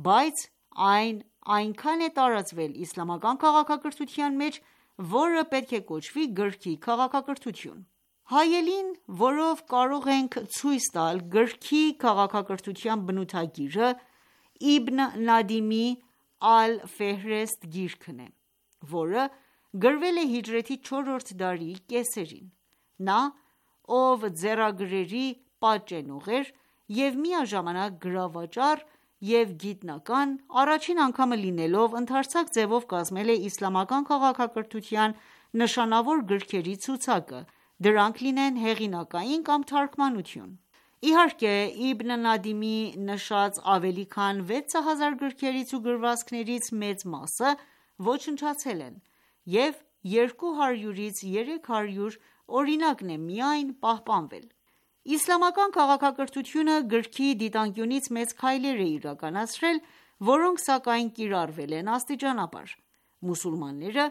բայց այն այնքան է տարածվել իսլամական քաղաքակրթության մեջ, որը պետք է կոչվի գրքի քաղաքակրթություն: Հայելին, որով կարող ենք ցույց տալ գրքի քաղաքակրթության բնութագիրը, Իբն Նադիմի «Ալ-Ֆեհրեստ» գիրքն է, որը գրվել է հիջրեթի չորրորդ դարի կեսերին: Նա, ով ձեռագրերի պատճենող էր և միաժամանակ գրավաճառ և գիտնական, առաջին անգամը լինելով, ընդարձակ ձևով կազմել է իսլամական քաղաքակրթության նշանավոր գրքերի ցուցակը, դրանք լինեն հեղինակային կամ թարգմանություն: Իհարկե, Իբն Նադիմի նշած ավելի քան վեց հազար գրքերից ու գրվածքներից մեծ մասը ոչնչացել են և երկու հարյուրից երեք հարյուր օրինակն է միայն պահպանվել: Իսլամական քաղաքակրթությունը գրքի դիտանկյունից մեծ քայլեր է իրականացրել, որոնք սակայն կիրառվել են աստիճանաբար: Մուսուլմանները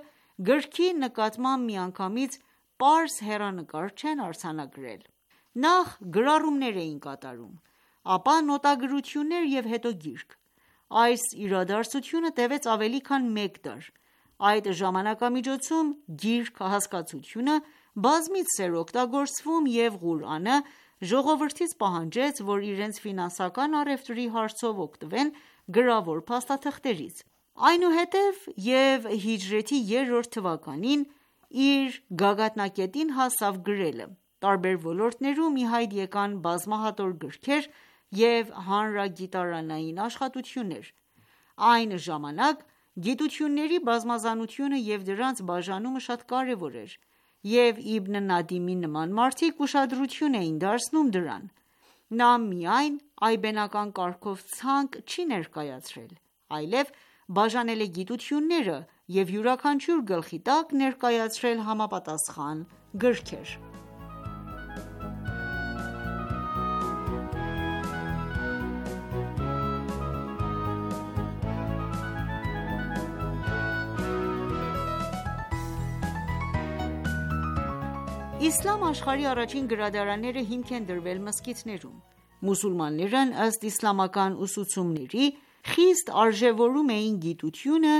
գրքի նկատմամբ միանգամից պարզ հեռանկար չեն արձանագրել: Նախ գրառումներ էին կատարում, ապա նոտագրություններ և հետո գիրք: Այս իրադարձությունը տևեց ավելի քան մեկ դար: Այդ ժամանակամիջոցում գիրք հասկացությունը բազմիցս էր օգտագործվում և Ղուրանը ժողովրդից պահանջեց, որ իրենց ֆինանսական առևտրի հարցով օգտվեն գրավոր փաստաթղթերից: Այնուհետև և հիջրեթի երրորդ թվականին իր գագաթնակետին հասավ գրելը: Տարբեր ոլորտներում ի հայտ եկան բազմահատոր գրքեր և հանրագիտարանային աշխատություններ: Այն ժամանակ գիտությունների բազմազանությունը և դրանց բաժանումը շատ կարևոր էր և Իբն Նադիմի նման մարդիկ ուշադրություն էին դարձնում դրան: Նա միայն այբենական կարգով ցանկ չի ներկայացրել, այլև բաժանել է գիտությունները և յուրաքանչյուր գլխի տակ ներկայացրել համապատասխան գրքեր: Իսլամ աշխարհի առաջին գրադարանները հիմք են դրվել մզկիթներում: Մուսուլմաններն ըստ իսլամական ուսուցումների, խիստ արժևորում էին գիտությունը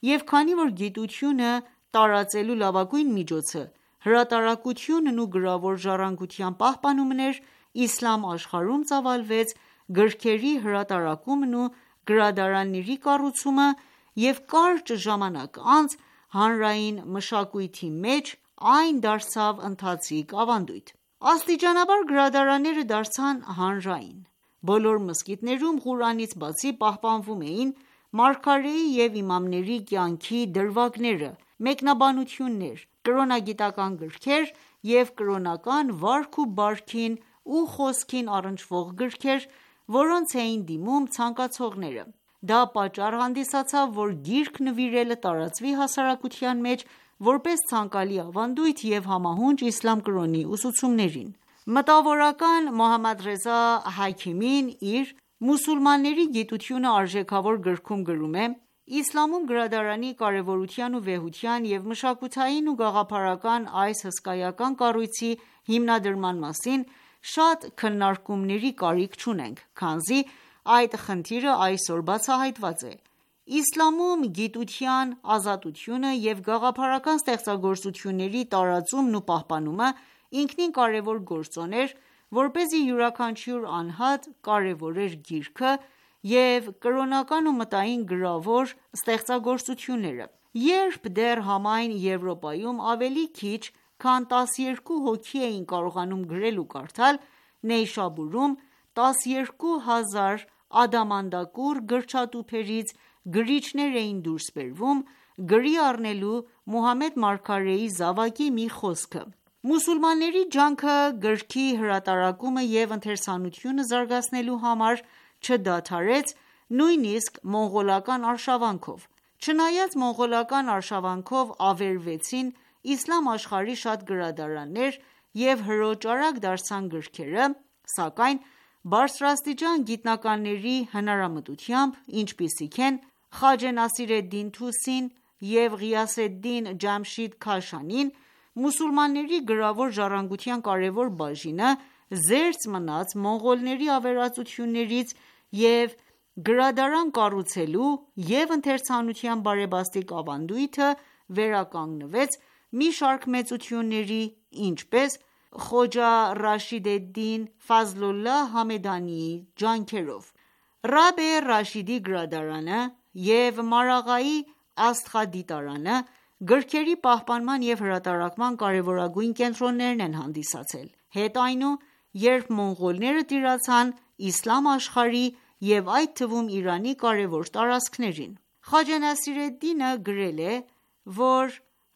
և քանի որ գիտությունը տարածելու լավագույն միջոցը հրատարակությունն ու գրավոր ժառանգության պահպանումն էր, իսլամ աշխարհում ծավալվեց գրքերի հրատարակումն ու գրադարանների կառուցումը և կարճ ժամանակ անց հանրային մշակույթի մեջ այն դարձավ ընթացիկ ավանդույթ: Աստիճանաբար գրադարանները դարձան հանրային: Բոլոր մզկիթներում Ղուրանից բացի պահպանվում էին մարգարեի և իմամների կյանքի դրվագները, մեկնաբանություններ, կրոնագիտական գրքեր և կրոնական վարք ու բարքին ու խոսքին առնչվող գրքեր, որոնց էին դիմում ցանկացողները: Դա պատճառ հանդիսացավ, որ գիրք նվիրելը տարածվի հասարակության մեջ, որպես ցանկալի ավանդույթ և համահունչ իսլամ կրոնի ուսուցումներին: Մտավորական Մոհամմադռեզա Հաքիմին իր «Մուսուլմանների գիտությունը» արժեքավոր գրքում գրում է. «Իսլամում գրադարանի կարևորության ու վեհության և մշակութային ու գաղափարական այս հսկայական կառույցի հիմնադրման մասին շատ քննարկումների կարիք չունենք, քանզի այդ խնդիրը այսօր բացահայտված է: Իսլամում գիտության ազատությունը և գաղափարական ստեղծագործությունների տարածումն ու պահպանումը ինքնին կարևոր գործոն էր, որպեսզի յուրաքանչյուր անհատ կարևորեր գիրքը և կրոնական ու մտային գրավոր ստեղծագործությունները: Երբ դեռ համայն Եվրոպայում ավելի քիչ քան տասներկու հոգի էին կարողանում գրել ու կարդալ, Նեյշաբուրում տասներկու հազար ադամանդակուռ գրչատուփերից գրիչներ էին դուրս բերվում, գրի առնելու Մուհամմեդ մարգարեի զավակի մի խոսքը: Մուսուլմանների ջանքը գրքի հրատարակումը և ընթերցանությունը զարգացնելու համար չդադարեց նույնիսկ մոնղոլական արշավանքով: Չնայած մոնղոլական արշավանքով ավերվեցին իսլամ աշխարհի շատ գրադարաններ և հրոճարակ դարձան գրքերը, սակայն բարձրաստիճան գիտնականների հնարամտությամբ, ինչպիսիք են Խաջե Նասիր էդ-Դին Թուսին և Ղիյասեդդին Ջամշիդ Քաշանին, մուսուլմանների գրավոր ժառանգության կարևոր բաժինը, զերծ մնաց մոնղոլների ավերածություններից և գրադարան կառուցելու և ընթերցանության բարեբաստիկ ավանդույթը վերականգնվեց մի շարք մեծությունների, ինչպես Խոջա Ռաշիդ էդ-Դին Ֆազլոլլահ Համեդանիի ջանքերով: Ռաբե Ռաշիդի գրադարանը և Մարաղայի աստղադիտարանը գրքերի պահպանման և հրատարակման կարևորագույն կենտրոններն են հանդիսացել: Հետ այնու, երբ մոնղոլները տիրացան իսլամ աշխարհի և այդ թվում Իրանի կարևոր տարածքներին: Խաջե Նասիր էդ-Դինը գրել է, որ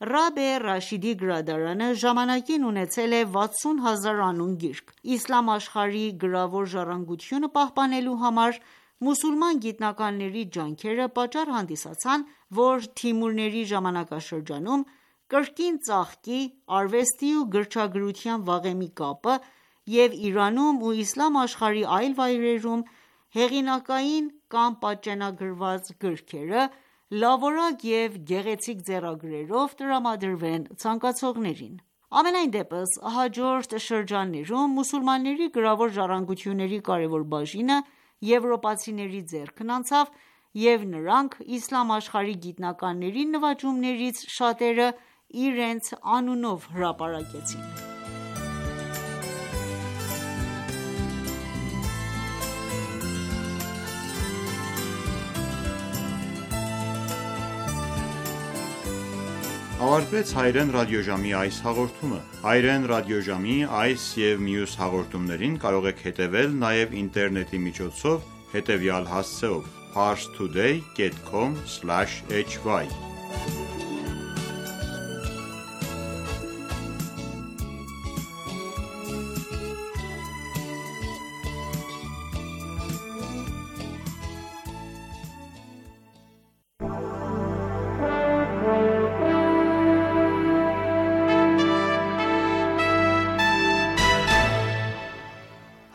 Ռաբե Ռաշիդի գրադարանը ժամանակին ունեցել է վաթսուն հազար անուն գիրք: Իսլամ աշխարհի գրավոր ժառանգությունը պահպանելու համար մուսուլման գիտնականների ջանքերը պատճառ հանդիսացան, որ Թիմուրների ժամանակաշրջանում կրկին ծաղկի արվեստի ու գրչագրության վաղեմի կապը և Իրանում ու իսլամ աշխարհի այլ վայրերում հեղինակային կամ պատճենագրված գրքերը լավորակ և գեղեցիկ ձեռագրերով տրամադրվեն ցանկացողներին: Համենայն դեպս, հաջորդ շրջաններում մուսուլմանների գրավոր ժառանգությունների կարևոր բաժինը եվրոպացիների ձեռքն անցավ և նրանք իսլամ աշխարհի գիտնականների նվաճումներից շատերը իրենց անունով հրապարակեցին: Ավարտվեց հայերեն ռադիոժամի այս հաղորդումը: Հայերեն ռադիոժամի այս և մյուս հաղորդումներին կարող եք հետևել նաև ինտերնետի միջոցով հետևյալ հասցեով՝ parstoday dot com slash h y: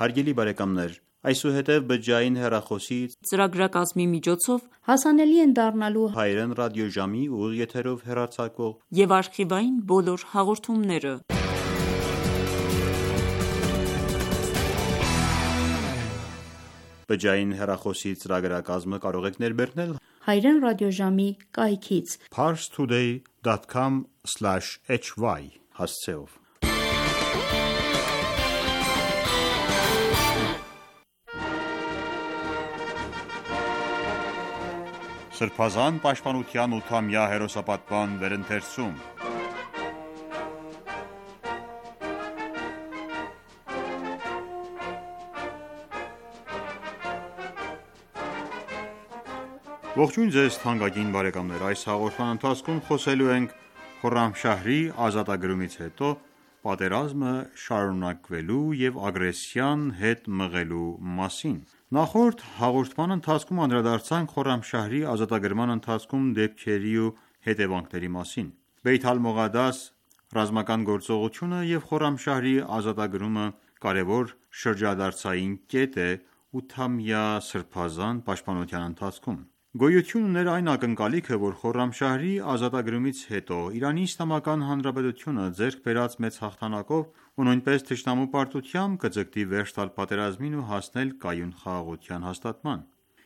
Հարգելի բարեկամներ, այսուհետև բջջային հեռախոսի ծրագրակազմի միջոցով հասանելի են դառնալու հայերեն ռադիոժամի ուղիղ եթերով հեռարձակվող և արխիվային բոլոր հաղորդումները: Բջջային հեռախոսի ծրագրակազմը կարող եք ներբեռնել հայերեն ռադիոժամի կայքից parstoday dot com slash h y հասցեով: Սրբազան պաշտպանության ութամյա հերոսապատման վերընթերցում Ողջույն ձեզ թանկագին բարեկամներ: Այս հաղորդման ընթացքում խոսելու ենք Խորրամշահրի ազատագրումից հետո պատերազմը շարունակվելու և ագրեսիան հետ մղելու մասին: Նախորդ հաղորդման ընթացքում անդրադարձանք Խորրամշահրի ազատագրման ընթացքում դեպքերի ու հետևանքների մասին: Բեյթ ալ-Մողադաս ռազմական գործողությունը և Խորրամշահրի ազատագրումը կարևոր շրջադարձային կետ է ութամյա սրբազան պաշտպանության ընթացքում: Գոյություն ուներ այն ակնկալիքը, որ Խորրամշահրի ազատագրումից հետո ԻԻՀ-ն ձեռք բերած մեծ հաղթանակով ու նույնպես թշնամու պարտությամբ կձգտի վերջ տալ պատերազմին ու հասնել կայուն խաղաղության հաստատման: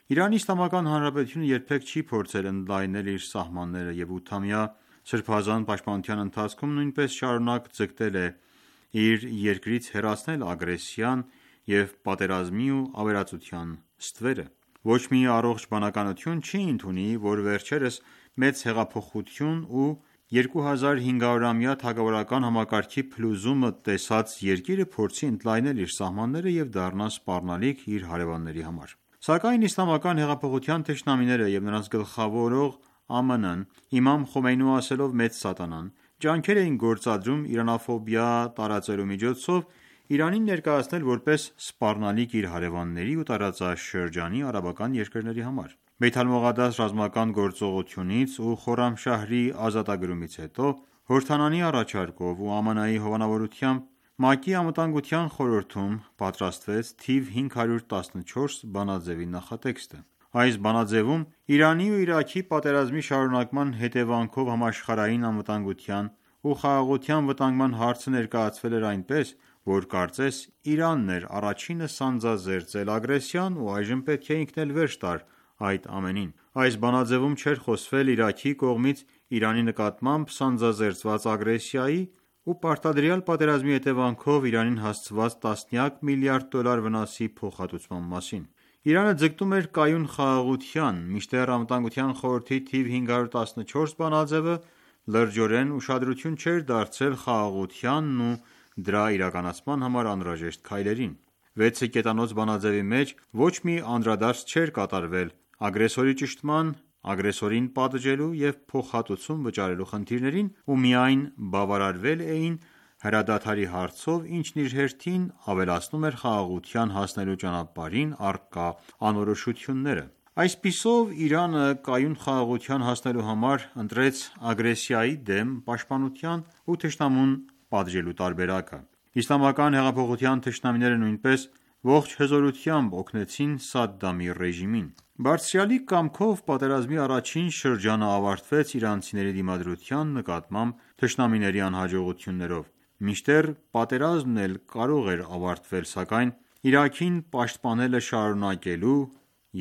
ԻԻՀ-ն երբեք չի փորձել ընդլայնել իր սահմանները և ութամյա սրբազան պաշտպանության ընթացքում նույնպես շարունակ ձգտել է իր երկրից հեռացնել ագրեսիան և պատերազմի ու ավերածության ստվերը: Ոչ մի առողջ բանականություն չի ընդունի, որ վերջերս մեծ հեղափոխություն ու երկու հազար հինգ հարյուրամյա թագավորական համակարգի փլուզումը տեսած երկիրը փորձի ընդլայնել իր սահմանները և դառնա սպառնալիք իր հարևանների համար: Սակայն իսլամական հեղափոխության թշնամիները և նրանց գլխավորող ԱՄՆ-ն իմամ Խոմեյնու ասելով մեծ սատանան, ջանքեր էին գործադրում իրանաֆոբիա տարածելու միջոցով Իրանին ներկայացնել որպես սպառնալիք իր հարևանների ու տարածաշրջանի արաբական երկրների համար: Բեյթ ալ-Մողադաս ռազմական գործողությունից ու Խորրամշահրի ազատագրումից հետո Հորդանանի առաջարկով ու ԱՄՆ-ի հովանավորությամբ ՄԱԿ-ի Անվտանգության խորհրդում պատրաստվեց թիվ հինգ հարյուր տասնչորս բանաձեւի նախատեքստը: Այս բանաձևում Իրանի ու Իրաքի պատերազմի շարունակման հետևանքով համաշխարհային անվտանգության ու խաղաղության վտանգման հարցը ներկայացվել էր այնպես, որ կարծես Իրանն էր առաջինը սանձազերծել ագրեսիան ու այժմ պետք է ինքն էլ վերջ տար այդ ամենին։ Այս բանաձևում չէր խոսվել Իրաքի կողմից Իրանի նկատմամբ սանձազերծված ագրեսիայի ու պարտադրյալ պատերազմի հետևանքով Իրանին հասցված տասնյակ միլիարդ դոլար վնասի փոխհատուցման մասին։ Իրանը ձգտում էր կայուն խաղաղության, մինչդեռ Անվտանգության խորհրդի թիվ հինգ հարյուր տասնչորս բանաձևը լրջորեն ուշադրություն չէր դարձրել խաղաղությանն ու դրա իրականացման համար անհրաժեշտ քայլերին։ Վեցը կետանոց բանաձևի մեջ ոչ մի անդրադարձ չէր կատարվել ագրեսորի ճշտման, ագրեսորին պատժելու և փոխհատուցում վճարելու խնդիրներին ու միայն բավարարվել էին հրադադարի հարցով, ինչն իր հերթին ավելացնում էր խաղաղության հասնելու ճանապարհին առկա անորոշությունները։ Այսպիսով Իրանը կայուն խաղաղության հասնելու համար ընտրեց ագրեսիայի դեմ պաշտպանության ու թշնամուն պատժելու տարբերակը։ Իսլամական հեղափոխության թշնամիները նույնպես ողջ հզորությամբ օգնեցին Սադդամի ռեժիմին։ Բարձրյալի կամքով պատերազմի առաջին շրջանը ավարտվեց իրանցիների դիմադրության նկատմամբ թշնամիների անհաջողություններով, մինչդեռ պատերազմն էլ կարող էր ավարտվել, սակայն Իրաքին պաշտպանելը շարունակելու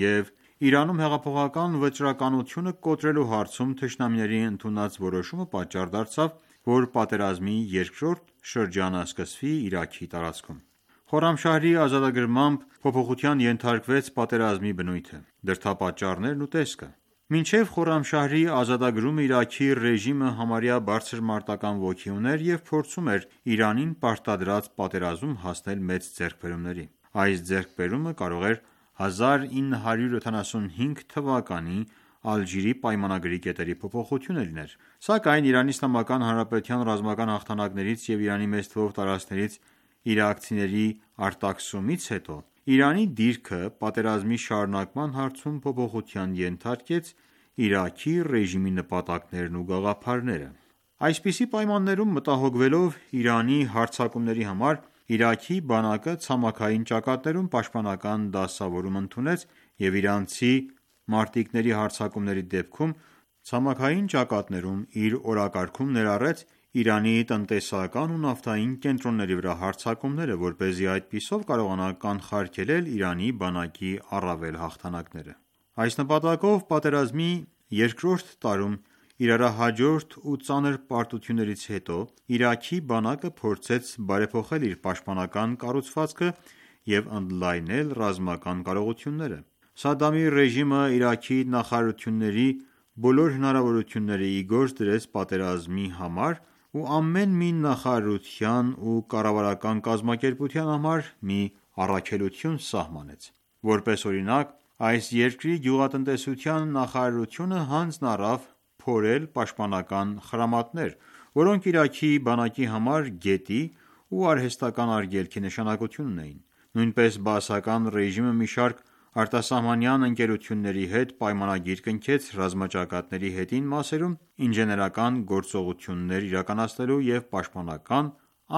և Իրանում հեղափոխական վճռականությունը կոտրելու հարցում թշնամիների ընդունած որոշումը պատճառ դարձավ, որ պատերազմի երկրորդ շրջանը սկսվի Իրաքի տարածքում։ Խորամշահրի ազատագրմամբ փոփոխության ենթարկվեց պատերազմի բնույթը, դրդապատճառներն ու տեսքը։ Մինչև Խորամշահրի ազատագրումը Իրաքի ռեժիմը համարյա բարձր մարտական ոգի ուներ և փորձում էր Իրանին պարտադրած պատերազմում հասնել մեծ ձեռքբերումների։ Այս ձեռքբերումը կարող էր հազար ինը հարյուր յոթանասունհինգ թվականի Ալժիրի պայմանագրի կետերի փոփոխությունը լիներ։ Սակայն Իրանի Իսլամական Հանրապետության ռազմական հաղթանակներից և Իրանի մեծ թվով տարածքներից իրաքցիների արտաքսումից հետո Իրանի դիրքը պատերազմի շարունակման հարցում փոփոխության ենթարկեց Իրաքի ռեժիմի նպատակներն ու գաղափարները։ Այսպիսի պայմաններում մտահոգվելով Իրանի հարձակումների համար Իրաքի բանակը ցամաքային ճակատներում պաշտպանական դասավորում ընդունեց և իրանցի մարտիկների հարձակումների դեպքում ցամաքային ճակատներում իր օրակարգում ներառեց Իրանի տնտեսական ու նավթային կենտրոնների վրա հարձակումները, որպեսզի այդպիսով կարողանա կանխարգելել Իրանի բանակի առավել հաղթանակները։ Այս նպատակով պատերազմի երկրորդ տարում իրարահաջորդ ու ծանր պարտություններից հետո Իրաքի բանակը փորձեց բարեփոխել իր պաշտպանական կառուցվածքը և ընդլայնել ռազմական կարողությունները։ Սադդամի ռեժիմը Իրաքի նախարարությունների բոլոր հնարավորությունները ի գործ դրեց պատերազմի համար ու ամեն մի նախարարության ու կառավարական կազմակերպության համար մի առաքելություն սահմանեց։ Որպես օրինակ, այս երկրի գյուղատնտեսության նախարարությունը հանձն առավ փորել պաշտպանական խրամատներ, որոնք Իրաքի բանակի համար գետի ու արհեստական արգելքի նշանակություն ունեին։ Նույնպես բաասական ռեժիմը մի շարք արտասահմանյան ընկերությունների հետ պայմանագիր կնքեց ռազմաճակատների հետին մասերում ինժեներական գործողություններ իրականացնելու և պաշտպանական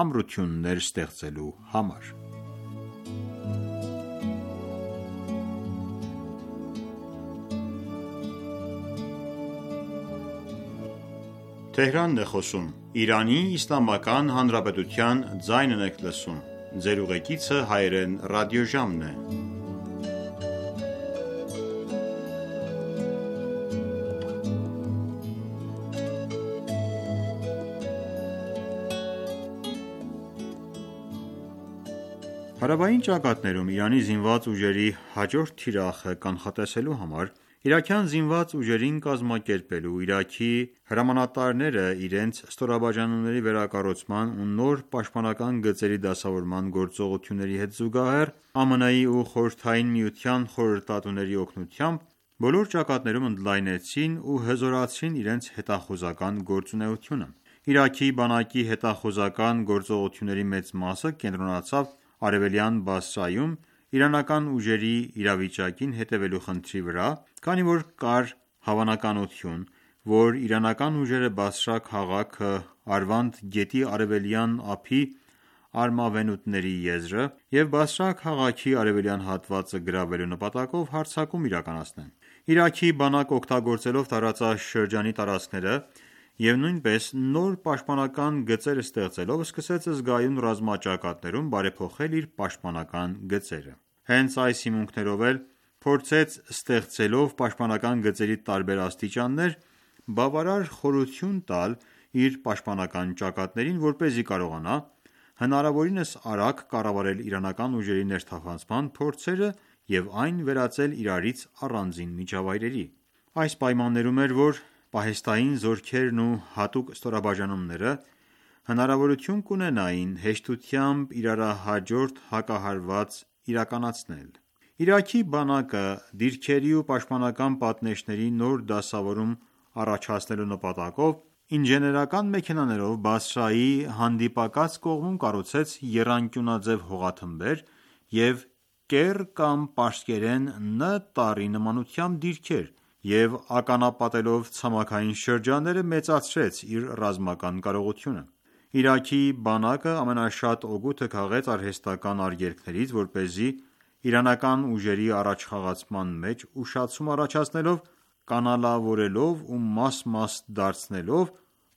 ամրություններ ստեղծելու համար։ Հարավային ճակատներում Իրանի զինված ուժերի հաջորդ թիրախը կանխատեսելու համար իրաքյան զինված ուժերին կազմակերպելու, Իրաքի հրամանատարները իրենց ստորաբաժանումների վերակառուցման ու նոր պաշտպանական գծերի դասավորման գործողությունների հետ զուգահեռ ԱՄՆ-ի ու Խորհրդային Միության խորհրդատուների օգնությամբ բոլոր ճակատներում ընդլայնեցին ու հզորացրին իրենց հետախուզական գործունեությունը։ Իրաքի բանակի հետախուզական գործողությունների մեծ մասը կենտրոնացավ Արևելյան Բասրայում իրանական ուժերի իրավիճակին հետևելու խնդրի վրա, քանի որ կար հավանականություն, որ իրանական ուժերը Բասրա քաղաքը Արվանդ գետի արևելյան ափի արմավենուտների եզրը և Բասրա քաղաքի արևելյան հատվածը գրավելու նպատակով հարձակում իրականացնեն: Իրաքի բանակ օգտագործելով տարածաշրջանի տարածքները և նույնպես նոր պաշտպանական գծեր ստեղծելով սկսեց զգայուն ռազմաճակատներում բարեփոխել իր պաշտպանական գծերը: Հենց այս հիմունքներով էլ փորձեց ստեղծելով պաշտպանական գծերի տարբեր աստիճաններ բավարար խորություն տալ իր պաշտպանական ճակատներին, որպեսզի կարողանա հնարավորինս արագ կառավարել իրանական ուժերի ներթափանցման փորձերը և այն վերածել իրարից առանձին միջավայրերի: Այս պայմաններում էր, որ պահեստային զորքերն ու հատուկ ստորաբաժանումները հնարավորություն կունենային հեշտությամբ իրարահաջորդ հակահարված իրականացնել: Իրաքի բանակը դիրքերի ու պաշտպանական պատնեշների նոր դասավորում առաջացնելու նպատակով ինժեներական մեքենաներով Բասրայի հանդիպակաց կողմում կառուցեց եռանկյունաձև հողաթմբեր և կեռ կամ պարսկերեն Ն տառի նմանությամբ դիրքեր և ականապատելով ցամաքային շրջանները մեծացրեց իր ռազմական կարողությունը: Իրաքի բանակը ամենաշատ օգուտը քաղեց արհեստական արգելքներից, որպեսզի իրանական ուժերի առաջխաղացման մեջ ուշացում առաջացնելով, կանալավորելով ու մաս-մաս դարձնելով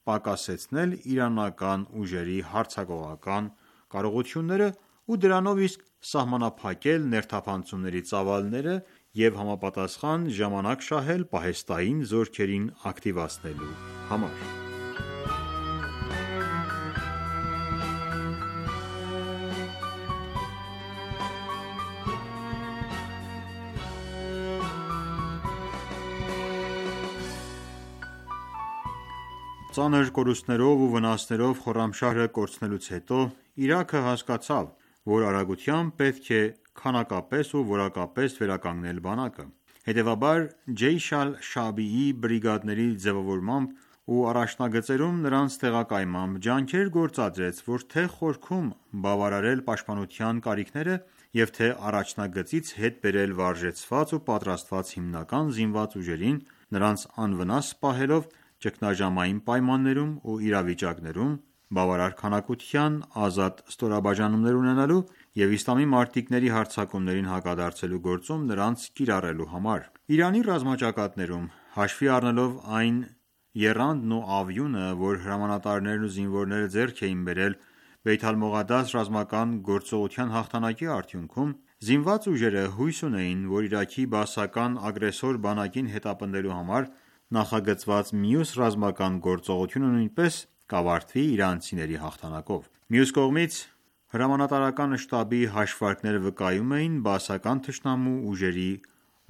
պակասեցնել իրանական ուժերի հարձակողական կարողությունները ու դրանով իսկ սահմանափակել ներթափանցումների ծավալները և համապատասխան ժամանակ շահել պահեստային զորքերին ակտիվացնելու համար: Ծանր կորուստներով ու վնասներով Խորամշահրը կորցնելուց հետո Իրաքը հասկացավ, որ արագությամբ պետք է քանակապես ու որակապես վերականգնել բանակը: Հետևաբար Ջեյշ ալ-Շաաբիի բրիգադների ձևավորմամբ ու առաջնագծերում նրանց տեղակայմամբ ջանքեր գործադրեց, որ թե խորքում բավարարել պաշտպանության կարիքները և թե առաջնագծից հետ բերել վարժեցված ու պատրաստված հիմնական զինված ուժերին, նրանց անվնաս պահելով ճգնաժամային պայմաններում ու իրավիճակներում բավարար քանակության ազատ ստորաբաժանումներ ունենալու և իսլամի մարտիկների հարձակումներին հակադարձելու գործում նրանց կիրառելու համար: Իրանի ռազմաճակատներում, հաշվի առնելով այն եռանդն ու ավյունը, որ հրամանատարներն ու զինվորները ձեռք էին բերել Բեյթ ալ-Մողադաս ռազմական գործողության հաղթանակի արդյունքում, զինված ուժերը հույս ունեին, որ Իրաքի բաասական ագրեսոր բանակին հետապնդելու համար նախագծված մյուս ռազմական գործողությունը նույնպես կավարտվի իրանցիների հաղթանակով: Մյուս կողմից, հրամանատարական շտաբի հաշվարկները վկայում էին բաասական թշնամու ուժերի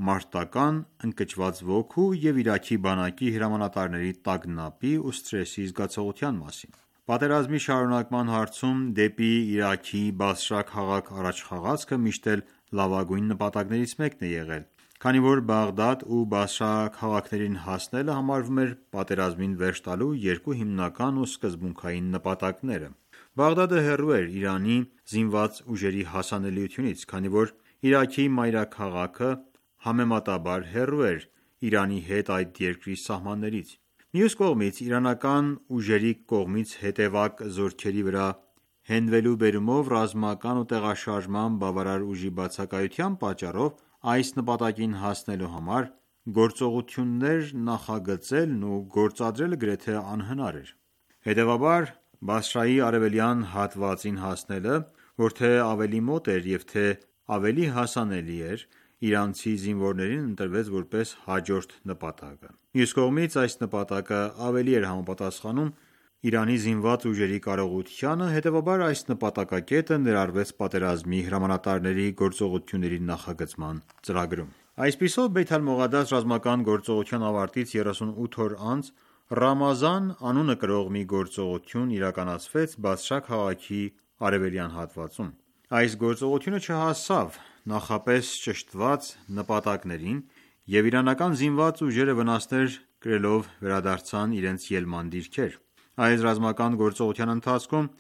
մարտական ընկճված ոգու և Իրաքի բանակի հրամանատարների տագնապի ու սթրեսի զգացողության մասին: Պատերազմի շարունակման հարցում դեպի Իրաքի Բասրա քաղաք առաջխաղացքը միշտ էլ լավագույն նպատակներից մեկն է եղել, քանի որ Բաղդադ ու Բասրա քաղաքներին հասնելը համարվում էր պատերազմին վերջ տալու երկու հիմնական ու սկզբունքային նպատակները: Բաղդադը հեռու էր Իրանի զինված ուժերի հասանելիությունից, քանի որ Իրաքի մայրաքաղաքը համեմատաբար հեռու էր Իրանի հետ այդ երկրի սահմաններից: Մյուս կողմից, իրանական ուժերի կողմից հետևակ զորքերի վրա հենվելու բերումով ռազմական ու տեղաշարժման բավարար ուժի բացակայության պատճառով այս նպատակին հասնելու համար գործողություններ նախագծելն ու գործադրելը գրեթե անհնար էր: Հետևաբար Բասրայի արևելյան հատվածին հասնելը, որ թե ավելի մոտ էր և թե ավելի հասանելի էր, իրանցի զինվորներին ընտրվեց որպես հաջորդ նպատակը: Մյուս կողմից, այս նպատակը ավելի էր համապատասխանում Իրանի զինված ուժերի կարողությանը, հետևաբար այս նպատակակետը ներառվեց պատերազմի հրամանատարների գործողությունների նախագծման ծրագրում: Այսպիսով Բեյթ ալ-Մողադաս ռազմական գործողության ավարտից երեսունութ օր անց Ռամազան անունը կրող մի գործողություն իրականացվեց Բասրա քաղաքի արևելյան հատվածում: Այս գործողությունը չհասավ նախապես ճշտված նպատակներին և իրանական զինված ուժերը վնասներ կրելով վերադարձան իրենց ելման դիրքեր: Այս ռազմական գործողության ընթացքում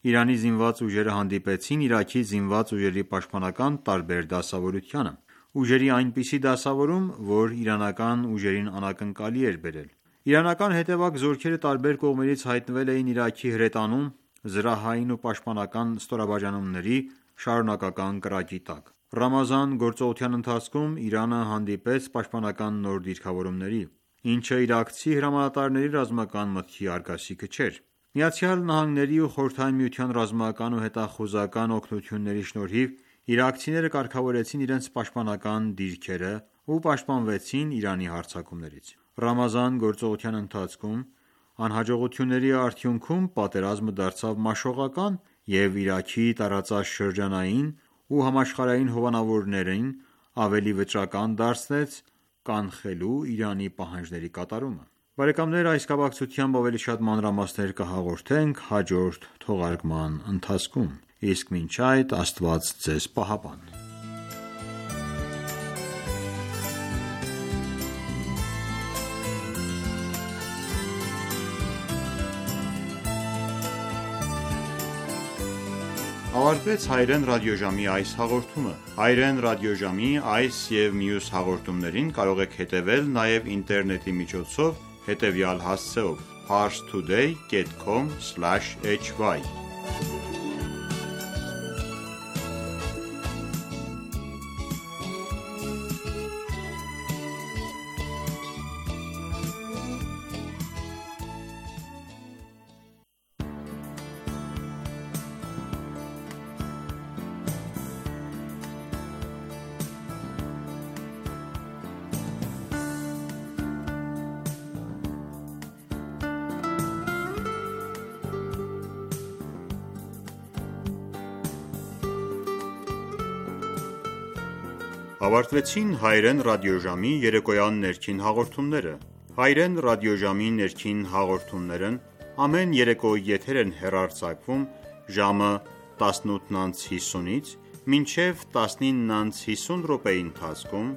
Իրանի զինված ուժերը հանդիպեցին Իրաքի զինված ուժերի պաշտպանական տարբեր դասավորությանը: Ուժերի այնպիսի դասավորում, որ իրանական ուժերին անակնկալի էր բերել: Իրանական հետևակ զորքերը տարբեր կողմերից հայտնվել էին Իրաքի հրետանում, զրահային ու պաշտպանական ստորաբաժանումների շարունակական կրակի տակ: Ռամազան գործողության ընթացքում Իրանը հանդիպեց պաշտպանական նոր դիրքավորումների, ինչը իրաքցի հրամանատարների ռազմական մտքի արգասիքը չէր: ԱՄՆ-ի ու Խորհրդային Միության ռազմական ու հետախուզական օգնությունների շնորհիվ իրաքցիները կարգավորեցին իրենց պաշտպանական դիրքերը ու պաշտպանվեցին Իրանի հարձակումներից: Ռամազան գործողության ընթացքում անհաջողությունների արդյունքում պատերազմը դարձավ մաշողական և Իրաքի տարածաշրջանային ու համաշխարհային հովանավորներին ավելի վճռական դարձրեց կանխելու Իրանի պահանջների կատարումը: Այս կապակցությամբ ավելի շատ մանրամասներ կհաղորդենք հաջորդ թողարկման ընթացքում: Իսկ մինչ այդ Աստված Ձեզ պահապան: Ավարտվեց հայրեն ռադիոժամի այս հաղորդումը: Հայրեն ռադիոժամի այս և մյուս հաղորդումներին կարող եք հետևել նաև ինտերնետի միջոցով հետևյալ հասցեով՝ parstoday dot com slash h y Ավարտվեցին հայրեն ռադիոժամի երեկոյան ներքին հաղորդումները: Հայրեն ռադիոժամի ներքին հաղորդումներն ամեն երեկո եթեր են հեռարձակվում ժամը տասնութ անց հիսունից մինչև տասնինը անց հիսուն րոպեի ընթացքում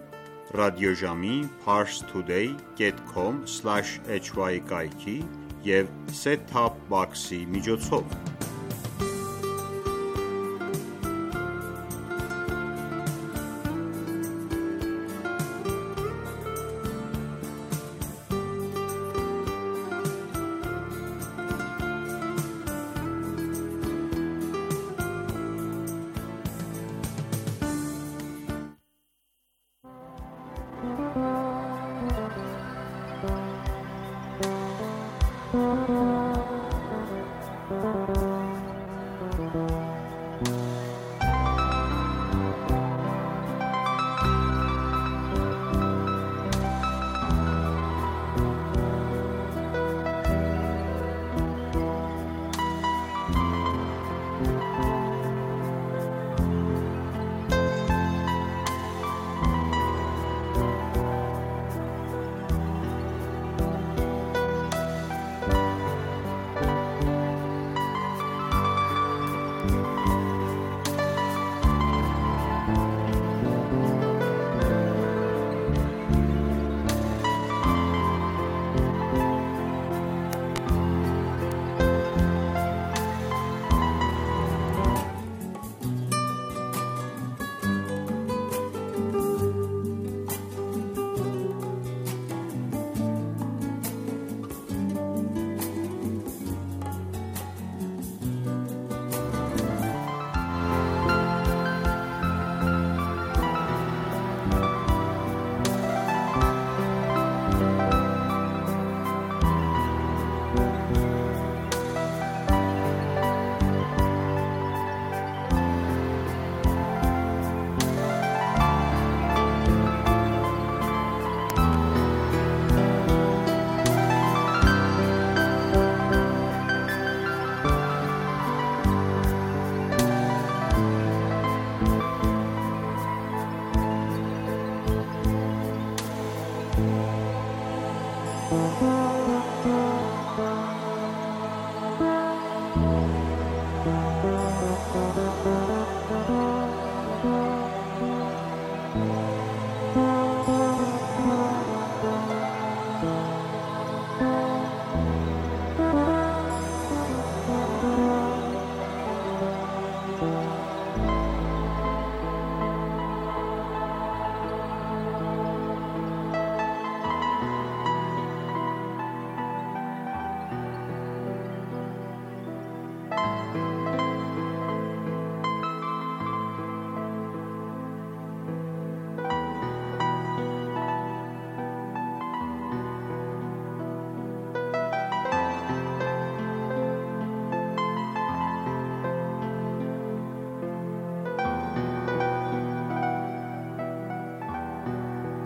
ռադիոժամի parstoday dot com slash h y կայքի և set top box-ի միջոցով: